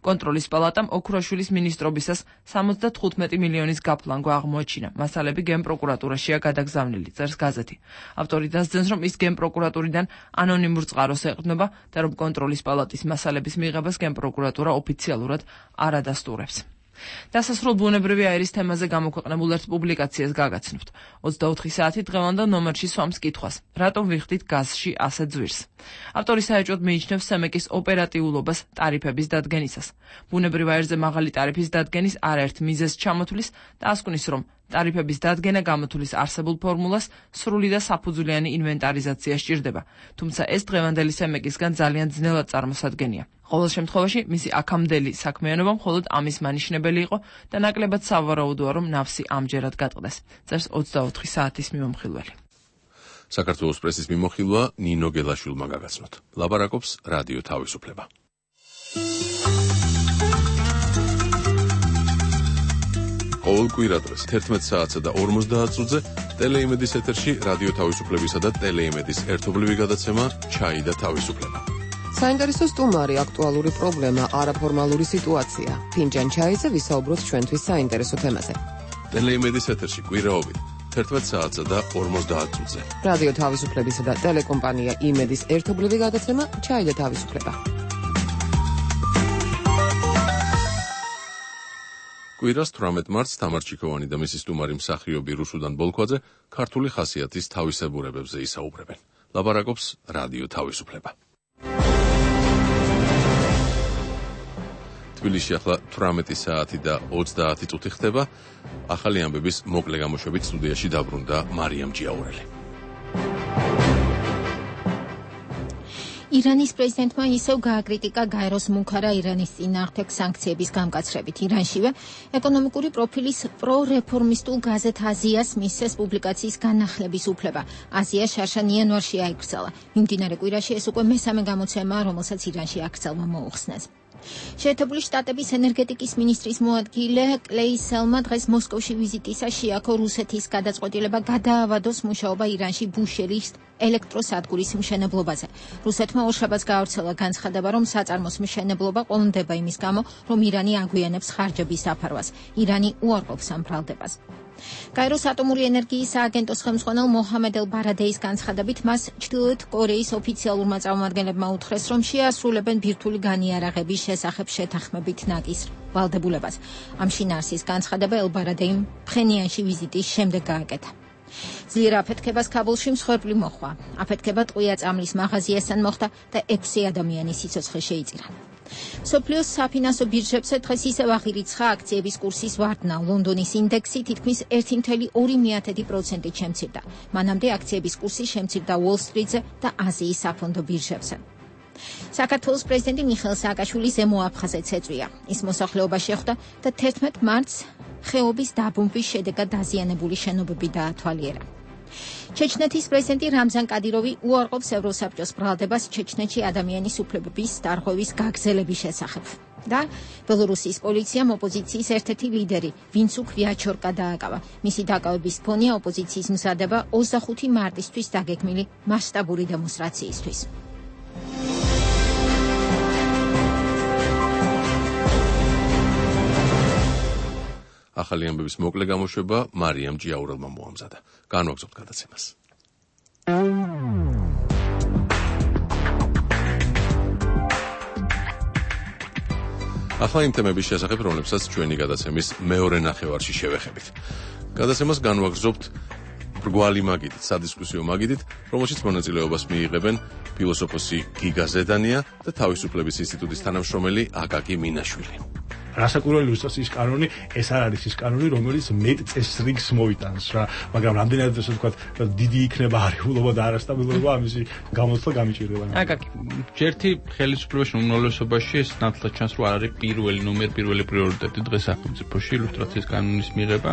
კონტროლის პალატამ ოქროშვილის მინისტრობისას სამოცდათხუთმეტი მილიონის გაფლანგვა აღმოაჩინა. მასალები გენპროკურატურაშია გადაგზავნილი, წერს გაზეთი. ავტორი დასძენს, რომ ის გენპროკურატურიდან ანონიმურ წყაროს ეყრდნობა და რომ კონტროლის პალატის მასალების მიღებას გენპროკურატურა ოფიციალურად არ ადასტურებს. დასასრულ ბუნებრივი აირის თემაზე გამოქვეყნებულ ერთ პუბლიკაციას გაგაცნობთ. ოცდაოთხი საათი დღევანდელ ნომერში სვამს კითხვას: რატომ ვიხდით გაზში ასე ძვირს? ავტორი საეჭვოდ მიიჩნევს სემეკის ოპერატიულობას ტარიფების დადგენისას. ბუნებრივ აირზე მაღალი ტარიფის დადგენის არაერთ მიზეზს ჩამოთვლის და ასკვნის, რომ ტარიფების დადგენა გამოთვლის არსებულ ფორმულას სრული და საფუძვლიანი ინვენტარიზაცია სჭირდება, თუმცა ეს დღევანდელი სემეკისგან ძალიან ძნელად წარმოსადგენია. ყოველ შემთხვევაში მისი აქამდელი საქმიანობა მხოლოდ ამის მანიშნებელი იყო და ნაკლებად სავარაუდოა, რომ ნავსი ამჯერად გატყდეს, წერს ოცდაოთხი საათის მიმოხილველი. საქართველოს პრესის მიმოხილვა ნინო გელაშვილმა გაგაცნოთ. ლაპარაკობს რადიო თავისუფლება. ყოველ კვირადღეს თერთმეტ საათსა და ორმოცდაათ წუთზე ტელეიმედის ეთერში რადიო თავისუფლებისა და ტელეიმედის ერთობლივი გადაცემა ჩაი და თავისუფლება. საინტერესო სტუმარი, აქტუალური პრობლემა, არაფორმალური სიტუაცია. ფინჯან ჩაიზე ვისაუბროთ ჩვენთვის საინტერესო თემაზე. ტელეიმედის ეთერში კვირაობით თერთმეტ საათსა და ორმოცდაათ წუთზე. რადიო თავისუფლებისა და ტელეკომპანია იმედის ერთობლივი გადაცემა ჩაი და თავისუფლება. კვირას თვრამეტ მარტს თამარ ჩიქოვანი და მისი სტუმარი მსახიობი რუსუდან ბოლქვაძე ქართული ხასიათის თავისებურებებზე ისაუბრებენ. ლაპარაკობს რადიო თავისუფლება. თბილისში ახლა თვრამეტი საათი და ოცდაათი წუთი ხდება. ახალი ამბების მოკლე გამოშვებით სტუდიაში დაბრუნდა მარიამ ჯიაურელი. ირანის პრეზიდენტმა ისევ გააკრიტიკა გაეროს მუქარა ირანის წინააღმდეგ სანქციების გამკაცრებით. ირანშივე ეკონომიკური პროფილის პრორეფორმისტულ გაზეთ აზიას მისცეს პუბლიკაციის განახლების უფლება. აზია შარშან იანვარში აიკრძალა. მიმდინარე კვირაში ეს უკვე მესამე გამოცემაა, რომელსაც ირანში აკრძალვა მოუხსნეს. შეერთებული შტატების ენერგეტიკის მინისტრის მოადგილე კლეი სელმა დღეს მოსკოვში ვიზიტისას შეაქო რუსეთის გადაწყვეტილება გადაავადოს მუშაობა ირანში ბუშერის ელექტროსადგურის მშენებლობაზე. რუსეთმა ორშაბათს გაავრცელა განცხადება, რომ საწარმოს მშენებლობა ყოლმდება იმის გამო, რომ ირანი აგვიანებს ხარჯების დაფარვას. ირანი უარყოფს ამ ბრალდებას. გაეროს ატომური ენერგიის სააგენტოს ხელმძღვანელ მოჰამედ ელ-ბარადეის განცხადებით მას ჩრდილოეთ კორეის ოფიციალურმა წარმომადგენლებმა უთხრეს, რომ შეასრულებენ ბირთვული განიარაღების შესახებ შეთანხმებით ნაკის ვალდებულებას. ამ შინაარსის განცხადება ელ-ბარადეიმ ფხენიანში ვიზიტის შემდეგ გააკეთა. ძლიერ აფეთქებას ქაბულში მსხვერპლი მოჰყვა. აფეთქება ტყვია წამლის მაღაზიასთან მოხდა და ექვსი ადამიანის სიცოცხლე შეიწირა. სოფლიოს საფინანსო ბირჟებზე დღეს ისევ აღირიცხა აქციების კურსის ვარდნა. ლონდონის ინდექსი თითქმის ერთი კoma ორი პროცენტით შემცირდა. მანამდე აქციების კურსი შემცირდა უოლ-სტრიტზე და აზიის საფონდო ბირჟებზე. საქართველოს პრეზიდენტი მიხეილ სააკაშვილი ზემო აფხაზეთს ეწვია. ის მოსახლეობაში ხვდა და თერთმეტ მარტს ხეობის დაბომბვის შედეგად დაზიანებული შენობები დაათვალიერა. ჩეჩნეთის პრეზიდენტი რამზან კადიროვი უარყოფს ევროსაბჭოს ბრალდებას ჩეჩნეთში ადამიანის უფლებების დარღვევის გაგრძელების შესახებ. და ბელორუსიის პოლიციამ ოპოზიციის ერთ-ერთი ლიდერი ვინცუკ ვიაჩორკა დააკავა. მისი დაკავების ფონია ოპოზიციის მზადება ოცდახუთი მარტისთვის დაგეგმილი მასშტაბური დემონსტრაციისთვის. ახალი ამბების მოკლე გამოშვება მარიამ ჯიაურელმა მოამზადა. განვაგრძობთ გადაცემას. ახლა იმ თემების შესახებ, რომლებსაც ჩვენი გადაცემის მეორე ნახევარში შევეხებით. გადაცემას განვაგრძობთ ბრგვალი მაგიდით, სადისკუსიო მაგიდით, რომელშიც მონაწილეობას მიიღებენ ფილოსოფოსი გიგა ზედანია და თავისუფლების ინსტიტუტის თანამშრომელი აკაკი მინაშვილი. რასაკვირველი ილუსტრაციის კანონი ეს არ არის ის კანონი, რომელიც მეტ წესრიგს მოიტანს რა, მაგრამ რამდენად ასე ვთქვათ, დიდი იქნება არეულობა და არასტაბილურობა, ამისი გამოცდა გამიჭირდება. აკაკი, ჯერთი ხელისუფლებაში უმრავლესობაში ეს ნათლად ჩანს, რომ არ არის პირველი ნომერი, პირველი პრიორიტეტი დღეს სახელმწიფოში ილუსტრაციის კანონის მიღება.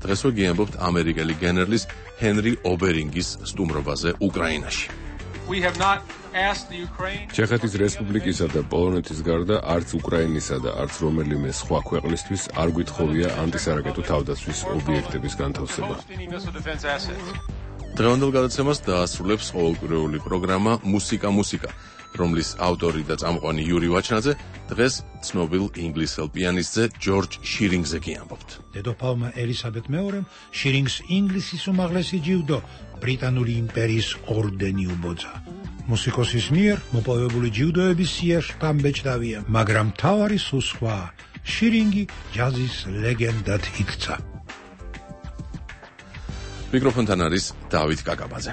დღეს ვიგიამბობთ ამერიკელი გენერლის ჰენრი ობერინგის სტუმრობაზე უკრაინაში. ჩეხეთის რესპუბლიკისა და პოლონეთის გარდა არც უკრაინისა და არც რომელიმე სხვა ქვეყნისთვის არ გვითხოვია ანტისარაკეტო თავდაცვის ობიექტების განთავსება. დღევანდელ გადაცემას დაასრულებს ყოველკვირეული პროგრამა მუსიკა მუსიკა, რომლის ავტორი და წამყვანი იური ვაჩნაძე დღეს ცნობილ ინგლისელ პიანისტზე ჯორჯ შირინგზე გიამბობთ. დედოფალმა ელისაბედ მეორემ შირინგს ინგლისის უმაღლესი ჯილდო ბრიტანული იმპერიის ორდენი უბოძა. მუსიკოსის მიერ მოპოვებული ჯილდოების სიაში დამბეჭდავია, მაგრამ თავარი სულ სხვა. შირინგი ჯაზის ლეგენდად იქცა. მიკროფონთან არის დავით კაკაბაძე.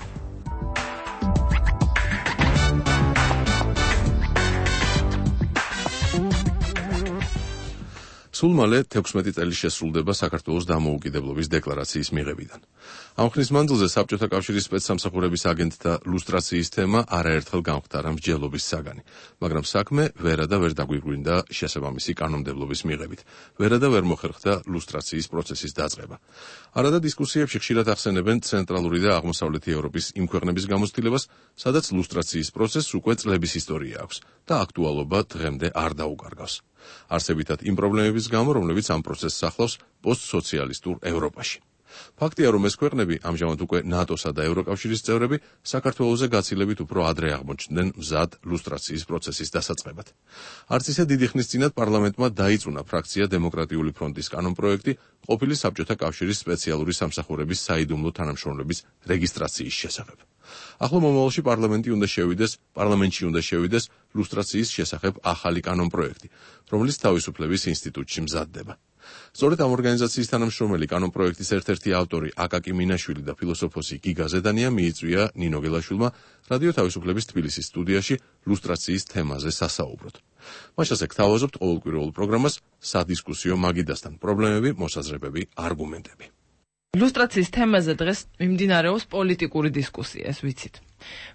სულ მალე თექვსმეტი წელი შესრულდება საქართველოს დამოუკიდებლობის დეკლარაციის მიღებიდან. ამ ხნის მანძილზე საბჭოთა კავშირის სპეცსამსახურების აგენტთა ლუსტრაციის თემა არაერთხელ გამხდარა მსჯელობის საგანი, მაგრამ საქმე ვერა და ვერ დაგვიგვინდა შესაბამისი კანონმდებლობის მიღებით. ვერა და ვერ მოხერხდა ლუსტრაციის პროცესის დაწყება. არადა დისკუსიებში ხშირად ახსენებენ ცენტრალური და აღმოსავლეთი ევროპის იმ ქვეყნების გამოცდილებას, სადაც ლუსტრაციის პროცესს უკვე წლების ისტორია აქვს და აქტუალობა დღემდე არ დაუკარგავს. არსებითად იმ პრობლემების გამო, რომლებიც ამ პროცესს ახლავს პოსტსოციალისტურ ევროპაში. ფაქტია, რომ ეს ქვეყნები, ამჟამად უკვე ნატოსა და ევროკავშირის წევრები, საქართველოზე გაცილებით უფრო ადრე აღმოჩნდნენ მზად ლუსტრაციის პროცესის დასაწყებად. არც ისე დიდი ხნის წინათ პარლამენტმა დაიწუნა ფრაქცია დემოკრატიული ფრონტის კანონპროექტი ყოფილი საბჭოთა კავშირის სპეციალური სამსახურების საიდუმლო თანამშრომლების რეგისტრაციის შესახებ. ახლა მომავალში პარლამენტი უნდა შევიდეს, პარლამენტში უნდა შევიდეს ლუსტრაციის შესახებ ახალი კანონპროექტი, რომელიც თავისუფლების ინსტიტუტში მზადდება. სწორედ ამ ორგანიზაციის თანამშრომელი კანონპროექტის ერთ-ერთი ავტორი აკაკი მინაშვილი და ფილოსოფოსი გიგა ზედანია მიიწვია ნინო გელაშვილმა რადიო თავისუფლების თბილისის სტუდიაში ლუსტრაციის თემაზე სასაუბროდ. მას ასე გთავაზობთ ყოველკვირეულ პროგრამას სადისკუსიო მაგიდასთან პრობლემები, მოსაზრებები, არგუმენტები. ლუსტრაციის თემაზე დღეს მიმდინარეობს პოლიტიკური დისკუსია, ეს ვიცით.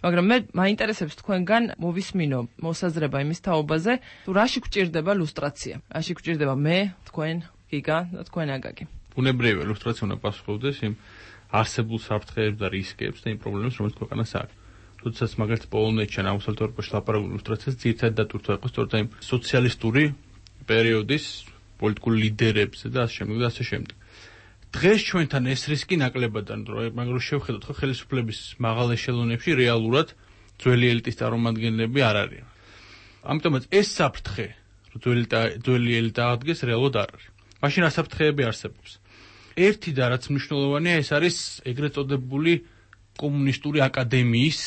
მაგრამ მე მაინტერესებს თქვენგან მოვისმინო მოსაზრება იმის თაობაზე, თუ რაში გვჭირდება ლუსტრაცია. რაში გვჭირდება მე, თქვენ, გიგა და თქვენ აკაკი. ბუნებრივია ლუსტრაცია უნდა პასუხობდეს იმ არსებულ საფრთხეებს და რისკებს და იმ პრობლემებს, რომელიც ქვეყანას აქვს. თუმცა მაგალითად პოლონეთში ან აღმოსავლეთ ევროპაში ლაპარაკობენ ლუსტრაციას ძირითადად დატვირთვა იყო სწორედ იმ სოციალისტური პერიოდის პოლიტიკურ ლიდერებზე და ასე შემდეგ და ასე შემდეგ. დღეს ჩვენთან ეს რისკი ნაკლებადან, მაგრამ შევხედოთ ხო ხელისუფლების მაღალ ეშელონებში რეალურად ძველი ელიტის წარმომადგენლები არ არიან. ამიტომაც ეს საფრთხე, რომ ძველი ელიტა აღდგეს, რეალურად არ არის. მაშინ რა საფრთხეები არსებობს? ერთი და რაც მნიშვნელოვანია, ეს არის ეგრეთ წოდებული კომუნისტური აკადემიის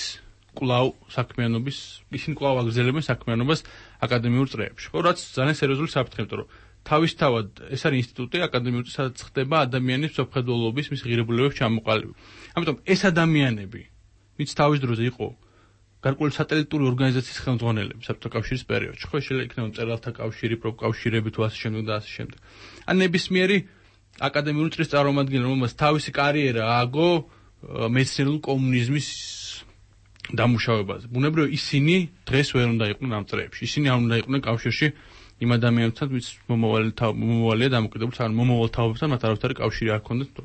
კვლავ საქმიანობის, ისინი კვლავ აგრძელებენ საქმიანობას აკადემიურ წრეებში. ხო, რაც ძალიან სერიოზული საფრთხე, იმიტომ რომ თავისთავად ეს არის ინსტიტუტი აკადემიური, სადაც ხდება ადამიანის მსოფლმხედველობის, მის ღირებულებების ჩამოყალიბება. ამიტომ ეს ადამიანები, ვინც თავის დროზე იყო გარკვეული სატელიტური ორგანიზაციის ხელმძღვანელები საბჭოთა კავშირის პერიოდში, ხო, შეიძლება იქნება მწერალთა კავშირი, პროფკავშირები თუ ასე შემდეგ და ასე შემდეგ. ან ნებისმიერი აკადემიური წრის წარმომადგენელი, რომელმაც თავისი კარიერა ააგო მეცნიერულ კომუნიზმის დამუშავებაზე. ბუნებრივია ისინი დღეს ვერ უნდა იყვნენ ამ წრეებში. ისინი არ უნდა იყვნენ კავშირში იმ ადამიანებთან, ვინც მომავალია დამოკიდებული, ან მომავალ თაობებთან მათ არავითარი კავშირი არ ჰქონდათ.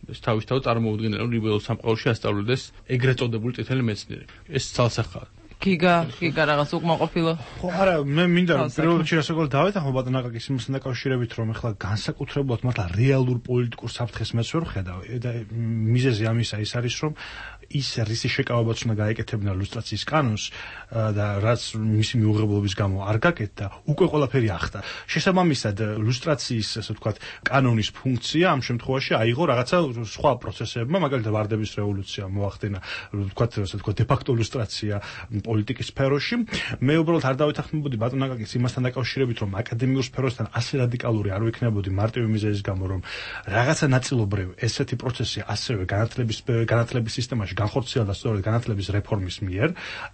ეს თავისთავად წარმოუდგენელი რომ ლიბერალურ სამყაროში ასწავლიდეს ეგრეთ წოდებული წითელი მეცნიერები. ეს ცალსახაა. გიგა, გიგა რაღაც უკმაყოფილო. ხო, არა, მე მინდა რომ პირველ რიგში რასაკვირველად დავეთანხმო ბატონ აკაკის იმასთან დაკავშირებით, რომ ეხლა განსაკუთრებულად მართლა რეალურ პოლიტიკურ საფრთხეს მეც ვერ ვხედავ და მიზეზი ამისა ის არის, რომ ის რისი შეკავებაც უნდა გაეკეთებინა ლუსტრაციის კანონს და რაც მისი მიუღებლობის გამო არ გაკეთდა, უკვე ყველაფერი ახდა. შესაბამისად, ლუსტრაციის, ასე ვთქვათ, კანონის ფუნქცია ამ შემთხვევაში აიღო რაღაცა სხვა პროცესებმა, მაგალითად ვარდების რევოლუცია მოახდინა, ვთქვათ, ასე ვთქვათ, დე-ფაქტო ლუსტრაცია პოლიტიკის სფეროში. მე უბრალოდ არ დავეთანხმებოდი ბატონ აკაკის იმასთან დაკავშირებით, რომ აკადემიურ სფეროსთან ასე რადიკალური არ ვიქნებოდი მარტივი მიზეზის გამო, რომ რაღაცა ნაწილობრივ ესეთი პროცესი ასევე განათლების განათლების სისტემაში განხორციელდა სწორედ განათლების რეფორმის მიერ.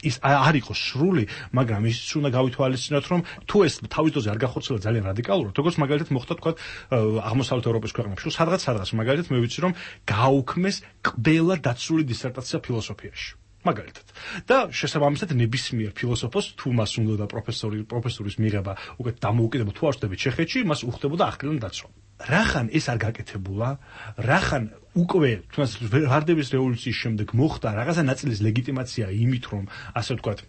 ის არ იყო სრული, მაგრამ ის უნდა გავითვალისწინოთ, რომ თუ ეს თავის დროზე არ განხორციელდა ძალიან რადიკალურად, როგორც მაგალითად მოხდა თქვა აღმოსავლეთ ევროპის ქვეყნებში, სადღაც სადღაც მაგალითად მე ვიცი, რომ გააუქმეს ყველა დაცული დისერტაცია ფილოსოფიაში. მაგალითად. და შესაბამისად ნებისმიერ ფილოსოფოს თუ მას უნდა პროფესორი პროფესორის მიღება უკვე დამოუკიდებელ თუ არ ხდებით ჩეხეთში, მას უხდებოდა ახლიდან დაცვა. რახან ეს არ გაკეთებულა, რახან უკვე თუნდაც ვარდების რევოლუციის შემდეგ მოხდა რაღაცა ნაწილის ლეგიტიმაცია იმით, რომ ასე ვთქვათ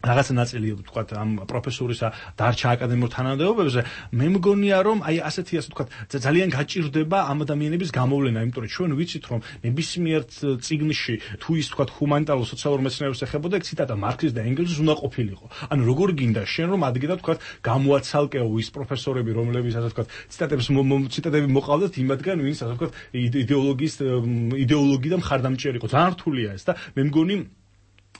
რაღაცა ნაწილი ვთქვათ ამ პროფესორისა დარჩა აკადემიურ თანამდებობებზე, მე მგონია რომ აი ასეთი ასე ვთქვათ ძალიან გაჭირდება ამ ადამიანების გამოვლენა, იმიტომ რომ ჩვენ ვიცით რომ ნებისმიერ წიგნში თუ ის ვთქვათ ჰუმანიტარულ სოციალურ მეცნიერებს ეხებოდა, ეგ ციტატა მარქსის და ენგელსის უნდა ყოფილიყო. ანუ როგორ გინდა შენ რომ ადგილად ვთქვათ გამოაცალკეო ის პროფესორები, რომლებიც ასე ვთქვათ ციტატებს ციტატები მოყავდათ იმათგან, ვინც ასე ვთქვათ იდეოლოგიის იდეოლოგიიდან მხარდამჭერი იყო. ძალიან რთულია ეს და მე მგონი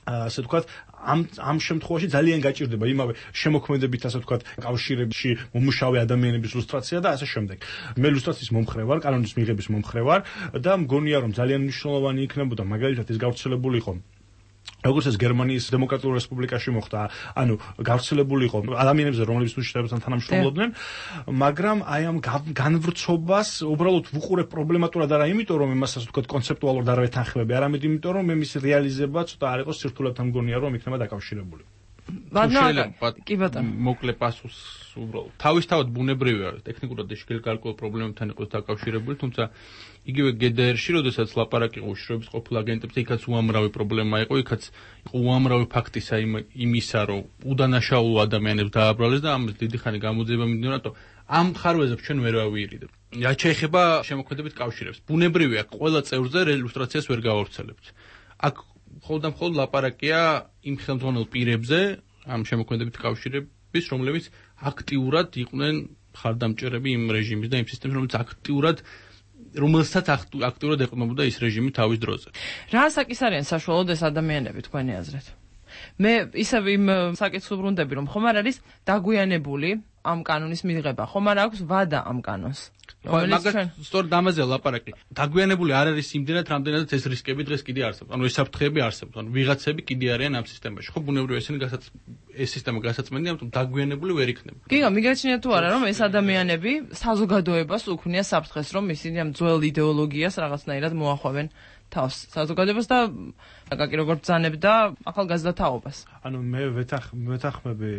ასე ვთქვათ ამ ამ შემთხვევაში ძალიან გაჭირდება იმავე შემოქმედებით ასე ვთქვათ კავშირებში მომუშავე ადამიანების ლუსტრაცია და ასე შემდეგ. მე ლუსტრაციის მომხრე ვარ, კანონის მიღების მომხრე ვარ და მგონია რომ ძალიან მნიშვნელოვანი იქნებოდა მაგალითად ის გავრცელებული იყო როგორც ეს გერმანიის დემოკრატიულ რესპუბლიკაში მოხდა, ანუ გავრცელებული იყო ადამიანებზე, რომლებიც უშიშრებასთან თანამშრომლობდნენ, მაგრამ აი ამ განვრცობას უბრალოდ ვუყურებ პრობლემატურად არა იმიტომ, რომ იმას ასე ვთქვათ კონცეპტუალურად არ ვეთანხმები, არამედ იმიტომ, რომ მის რეალიზება ცოტა არ იყოს სირთულეთან მგონია, რომ იქნება დაკავშირებული. კი ბატონო, მოკლე პასუხს უბრალოდ. თავისთავად ბუნებრივია, ტექნიკურად ეშკელ გარკვეულ პრობლემებთან იყოს დაკავშირებული, თუმცა იგივე ჯი დი არ-ში, როდესაც ლაპარაკი იყო უშიშროების ყოფილ აგენტებზე, იქაც უამრავი პრობლემა იყო, იქაც იყო უამრავი ფაქტისა იმისა, რომ უდანაშაულო ადამიანებს დააბრალეს და ამის დიდი ხანი გამოძიება მიმდინარეობდა, რატო ამ ხარვეზებს ჩვენ ვერ ვავიარით. რაც შეეხება შემოქმედებით კავშირებს, ბუნებრივია, ყველა წევრზე ილუსტრაციას ვერ გავავრცელებთ. აქ მხოლოდ და მხოლოდ ლაპარაკია იმ ხელმძღვანელ პირებზე, ამ შემოქმედებით კავშირების, რომლებიც აქტიურად იყვნენ მხარდამჭერები იმ რეჟიმის და იმ სისტემის, რომელიც აქტიურად რომელსაც აქტიურად ეყნობოდა ის რეჟიმი თავის დროზე. რა საკის არიან საშუალოდ ეს ადამიანები თქვენი აზრით? მე ისევ იმ საკითხს უბრუნდები, რომ ხომ არ არის დაგვიანებული ამ კანონის მიღება. ხომ არ აქვს ვადა ამ კანონს? მაგას სწორედ ამაზე ლაპარაკი. დაგვიანებული არ არის იმდენად, რამდენადაც ეს რისკები დღეს კიდე არსებობს. ანუ ეს საფრთხეები არსებობს. ანუ ვიღაცები კიდე არიან ამ სისტემაში. ხო, ბუნებრივია ესენი გასაც ეს სისტემა გასაწმენდია, ამიტომ დაგვიანებული ვერ იქნება. გიგა, მიგაჩნია თუ არა, რომ ეს ადამიანები საზოგადოებას უქმნიან საფრთხეს, რომ ისინი ამ ძველ იდეოლოგიას რაღაცნაირად მოახვევენ თავს საზოგადოებას და აკაკი როგორ ბრძანებდა ახალგაზრდა თაობას. ანუ მე ვეთახ ვეთახმები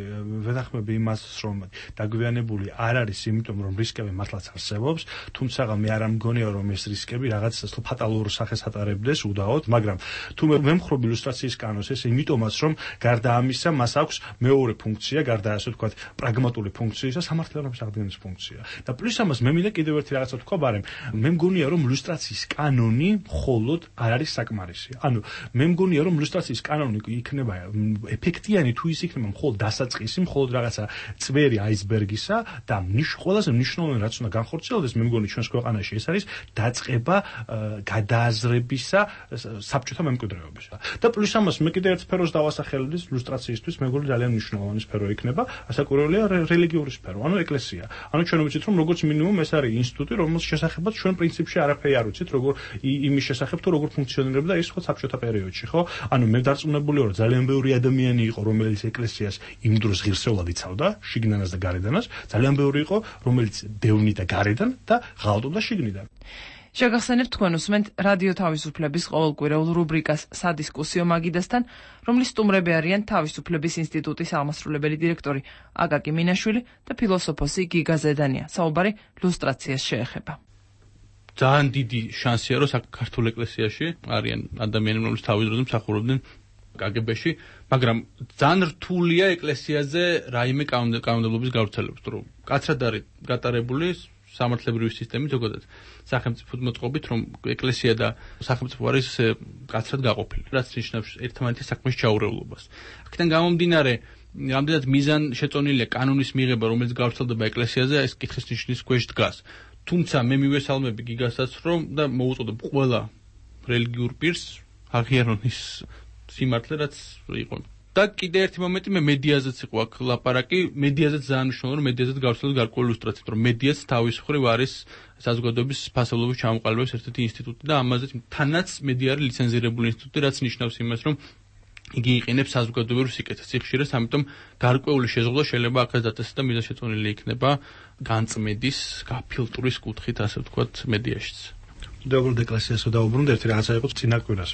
ვეთახმები იმას, რომ დაგვიანებული არ არის, იმიტომ რომ რისკები მართლაც არსებობს, თუმცა მე არ მგონია რომ ეს რისკები რაღაც ფატალურ სახეს ატარებდეს უდაოდ, მაგრამ თუ მე ვემხრობ ილუსტრაციის კანონს, ეს იმიტომაც რომ გარდა ამისა მას აქვს მეორე ფუნქცია, გარდა ასე ვთქვათ, პრაგმატული ფუნქციისა, სამართლებრივი აღდგენის ფუნქცია. და პლუს ამას მე მინდა კიდევ ერთი რაღაცა ვთქვა, მაგრამ მე მგონია რომ ილუსტრაციის კანონი მხოლოდ არ არის საკმარისი. ანუ მე მგონია რომ ილუსტრაციის კანონი იქნება ეფექტიანი თუ ის იქნება მხოლოდ დასაწყისი, მხოლოდ რაღაცა წვერი აისბერგისა და ნიშ ყველაზე მნიშვნელოვანი რაც უნდა განხორციელდეს, მე მგონი ჩვენს ქვეყანაში ეს არის დაწყება გადააზრებისა საბჭოთა მემკვიდრეობისა. და პლუს ამას მე კიდევ ერთ სფეროს დავასახელებდი ილუსტრაციისთვის, მე მგონი ძალიან მნიშვნელოვანი სფერო იქნება, ასაკურველია რელიგიური სფერო, ანუ ეკლესია. ანუ ჩვენ ვიცით რომ როგორც მინიმუმ ეს არის ინსტიტუტი, რომელსაც შესახებაც ჩვენ პრინციპში არაფერი არ ვიცით, როგორ იმის შესახებ თუ როგორ ფუნქციონირებდა ის ხო საბჭოთა პერიოდში, ხო? ანუ მე დარწმუნებული ვარ, ძალიან ბევრი ადამიანი იყო, რომელიც ეკლესიას იმ დროს ღირსეულად იცავდა, შიგნანაც და გარედანაც, ძალიან ბევრი იყო, რომელიც დევნი და გარედან და ღალატობდა შიგნიდან. შეგახსენებთ თქვენ უსმენთ რადიო თავისუფლების ყოველკვირეულ რუბრიკას სადისკუსიო მაგიდასთან, რომლის სტუმრები არიან თავისუფლების ინსტიტუტის აღმასრულებელი დირექტორი აკაკი მინაშვილი და ფილოსოფოსი გიგა ზედანია. საუბარი ლუსტრაციას შეეხება. ძალიან დიდი შანსია, რომ საქართველოს ეკლესიაში არიან ადამიანები, რომლებიც თავის დროზე მსახურობდნენ კაგებეში, მაგრამ ძალიან რთულია ეკლესიაზე რაიმე კანონმდებლობის გავრცელება, რომ კაცრად არის გატარებული სამართლებრივი სისტემით, ზოგადად სახელმწიფო მოწყობით, რომ ეკლესია და სახელმწიფო არის კაცრად გაყოფილი, რაც ნიშნავს ერთმანეთის საქმის ჩაურევლობას. აქედან გამომდინარე, რამდენად მიზან შეწონილია კანონის მიღება, რომელიც გავრცელდება ეკლესიაზე, ეს კითხვის ნიშნის ქვეშ დგას. თუმცა მე მივესალმები გიგასაც, რომ და მოუწოდებ ყველა რელიგიურ პირს აღიარონ ის სიმართლე, რაც იყო. და კიდე ერთი მომენტი მე მედიაზეც იყო აქ ლაპარაკი, მედიაზეც ძალიან მნიშვნელოვანია, რომ მედიაზეც გავრცელდეს გარკვეული ილუსტრაციით, რომ მედიაც თავის მხრივ არის საზოგადოების ფასეულობის ჩამოყალიბების ერთ-ერთი ინსტიტუტი და ამაზე თანაც მედია არის ლიცენზირებული ინსტიტუტი, რაც ნიშნავს იმას, რომ იგი იყენებს საზოგადოებრივ სიკეთეს სიხშირეს, ამიტომ გარკვეული შეზღუდვა შეიძლება აქაც დაწესდეს და მიზანშეწონილი იქნება განწმედის, გაფილტვრის კუთხით, ასე ვთქვათ, მედიაშიც. დეუბრუნდ ეკლესიასო დაუბრუნდ ერთი რაღაცა იყო წინა კვირას.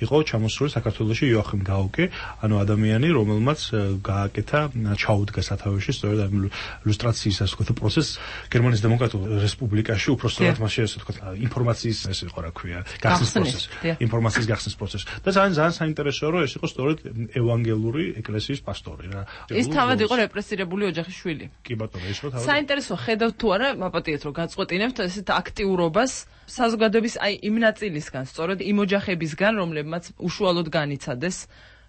იყო ჩამოსული საქართველოში იოახიმ გაუკე, ანუ ადამიანი, რომელმაც გააკეთა ჩაუდგა სათავეში სწორედ ამ ილუსტრაციის ასე ვთქვათ პროცესს გერმანიის დემოკრატიულ რესპუბლიკაში, უბრალოდ მასში ასე ვთქვათ ინფორმაციის ეს იყო რა ქვია, გახსნის პროცესი, ინფორმაციის გახსნის პროცესი. და ძალიან ძალიან საინტერესოა, რომ ეს იყო სწორედ ევანგელური ეკლესიის პასტორი რა. ის თავად იყო რეპრესირებული ოჯახის შვილი. კი ბატონო, ის იყო თავად. საინტერესო ხედავთ თუ არა, მაპატიეთ რომ გაწყვეტინებთ ესეთ აქტიურობას საზოგადოების აი იმ ნაწილისგან, სწორედ იმ ოჯახებისგან, რომლებმაც უშუალოდ განიცადეს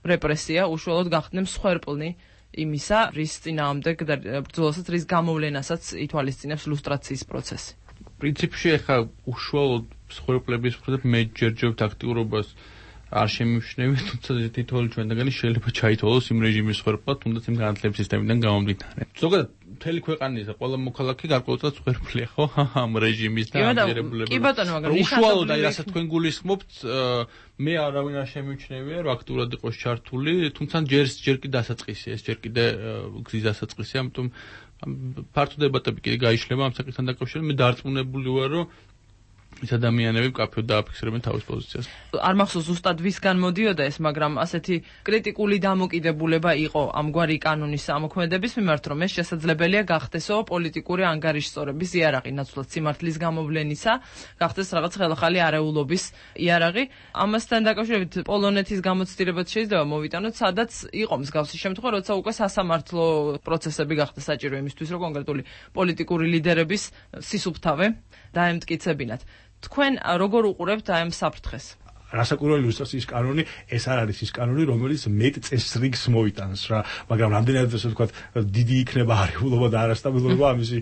რეპრესია, უშუალოდ გახდნენ მსხვერპლნი იმისა, რის წინააღმდეგ და ბრძოლასაც, რის გამოვლენასაც ითვალისწინებს ლუსტრაციის პროცესი. პრინციპში ახლა უშუალოდ მსხვერპლების მხრივ მე ჯერჯერობთ აქტიურობას არ შემიმჩნევი, თუმცა თითოეული ჩვენგანი შეიძლება ჩაითვალოს იმ რეჟიმის მსხვერპლად, თუნდაც იმ განათლების სისტემიდან გამომდინარე. ზოგადად მთელი ქვეყანისა ყველა მოქალაქე გარკვეულწილად მსხვერპლია, ხო? ამ რეჟიმის და ამიერებულების. კი ბატონო, მაგრამ უშუალოდ აი რასაც თქვენ გულისხმობთ, მე არავინ არ შემიმჩნევია, რომ აქტიურად იყოს ჩართული, თუმცა ჯერ ჯერ კიდე დასაწყისია, ეს ჯერ კიდე გზის დასაწყისია, ამიტომ ფართო დებატები კიდე გაიშლება ამ საკითხთან დაკავშირებით. მე დარწმუნებული ვარ, რომ ის ადამიანები მკაფიოდ დააფიქსირებენ თავის პოზიციას. არ მახსოვს ზუსტად ვისგან მოდიოდა ეს, მაგრამ ასეთი კრიტიკული დამოკიდებულება იყო ამგვარი კანონის ამოქმედების მიმართ, რომ ეს შესაძლებელია გახდესო პოლიტიკური ანგარიშსწორების იარაღი, ნაცვლად სიმართლის გამოვლენისა, გახდეს რაღაც ხელახალი არეულობის იარაღი. ამასთან დაკავშირებით პოლონეთის გამოცდილებაც შეიძლება მოვიტანოთ, სადაც იყო მსგავსი შემთხვევა, როცა უკვე სასამართლო პროცესები გახდა საჭირო იმისთვის, რომ კონკრეტული პოლიტიკური ლიდერების სისუფთავე დაემტკიცებინათ. თქვენ როგორ უყურებთ აი ამ საფრთხეს? რასაკვირველი ილუსტრაციის კანონი ეს არ არის ის კანონი, რომელიც მეტ წესრიგს მოიტანს რა, მაგრამ რამდენადაც ასე ვთქვათ, დიდი იქნება არეულობა და არასტაბილურობა, ამისი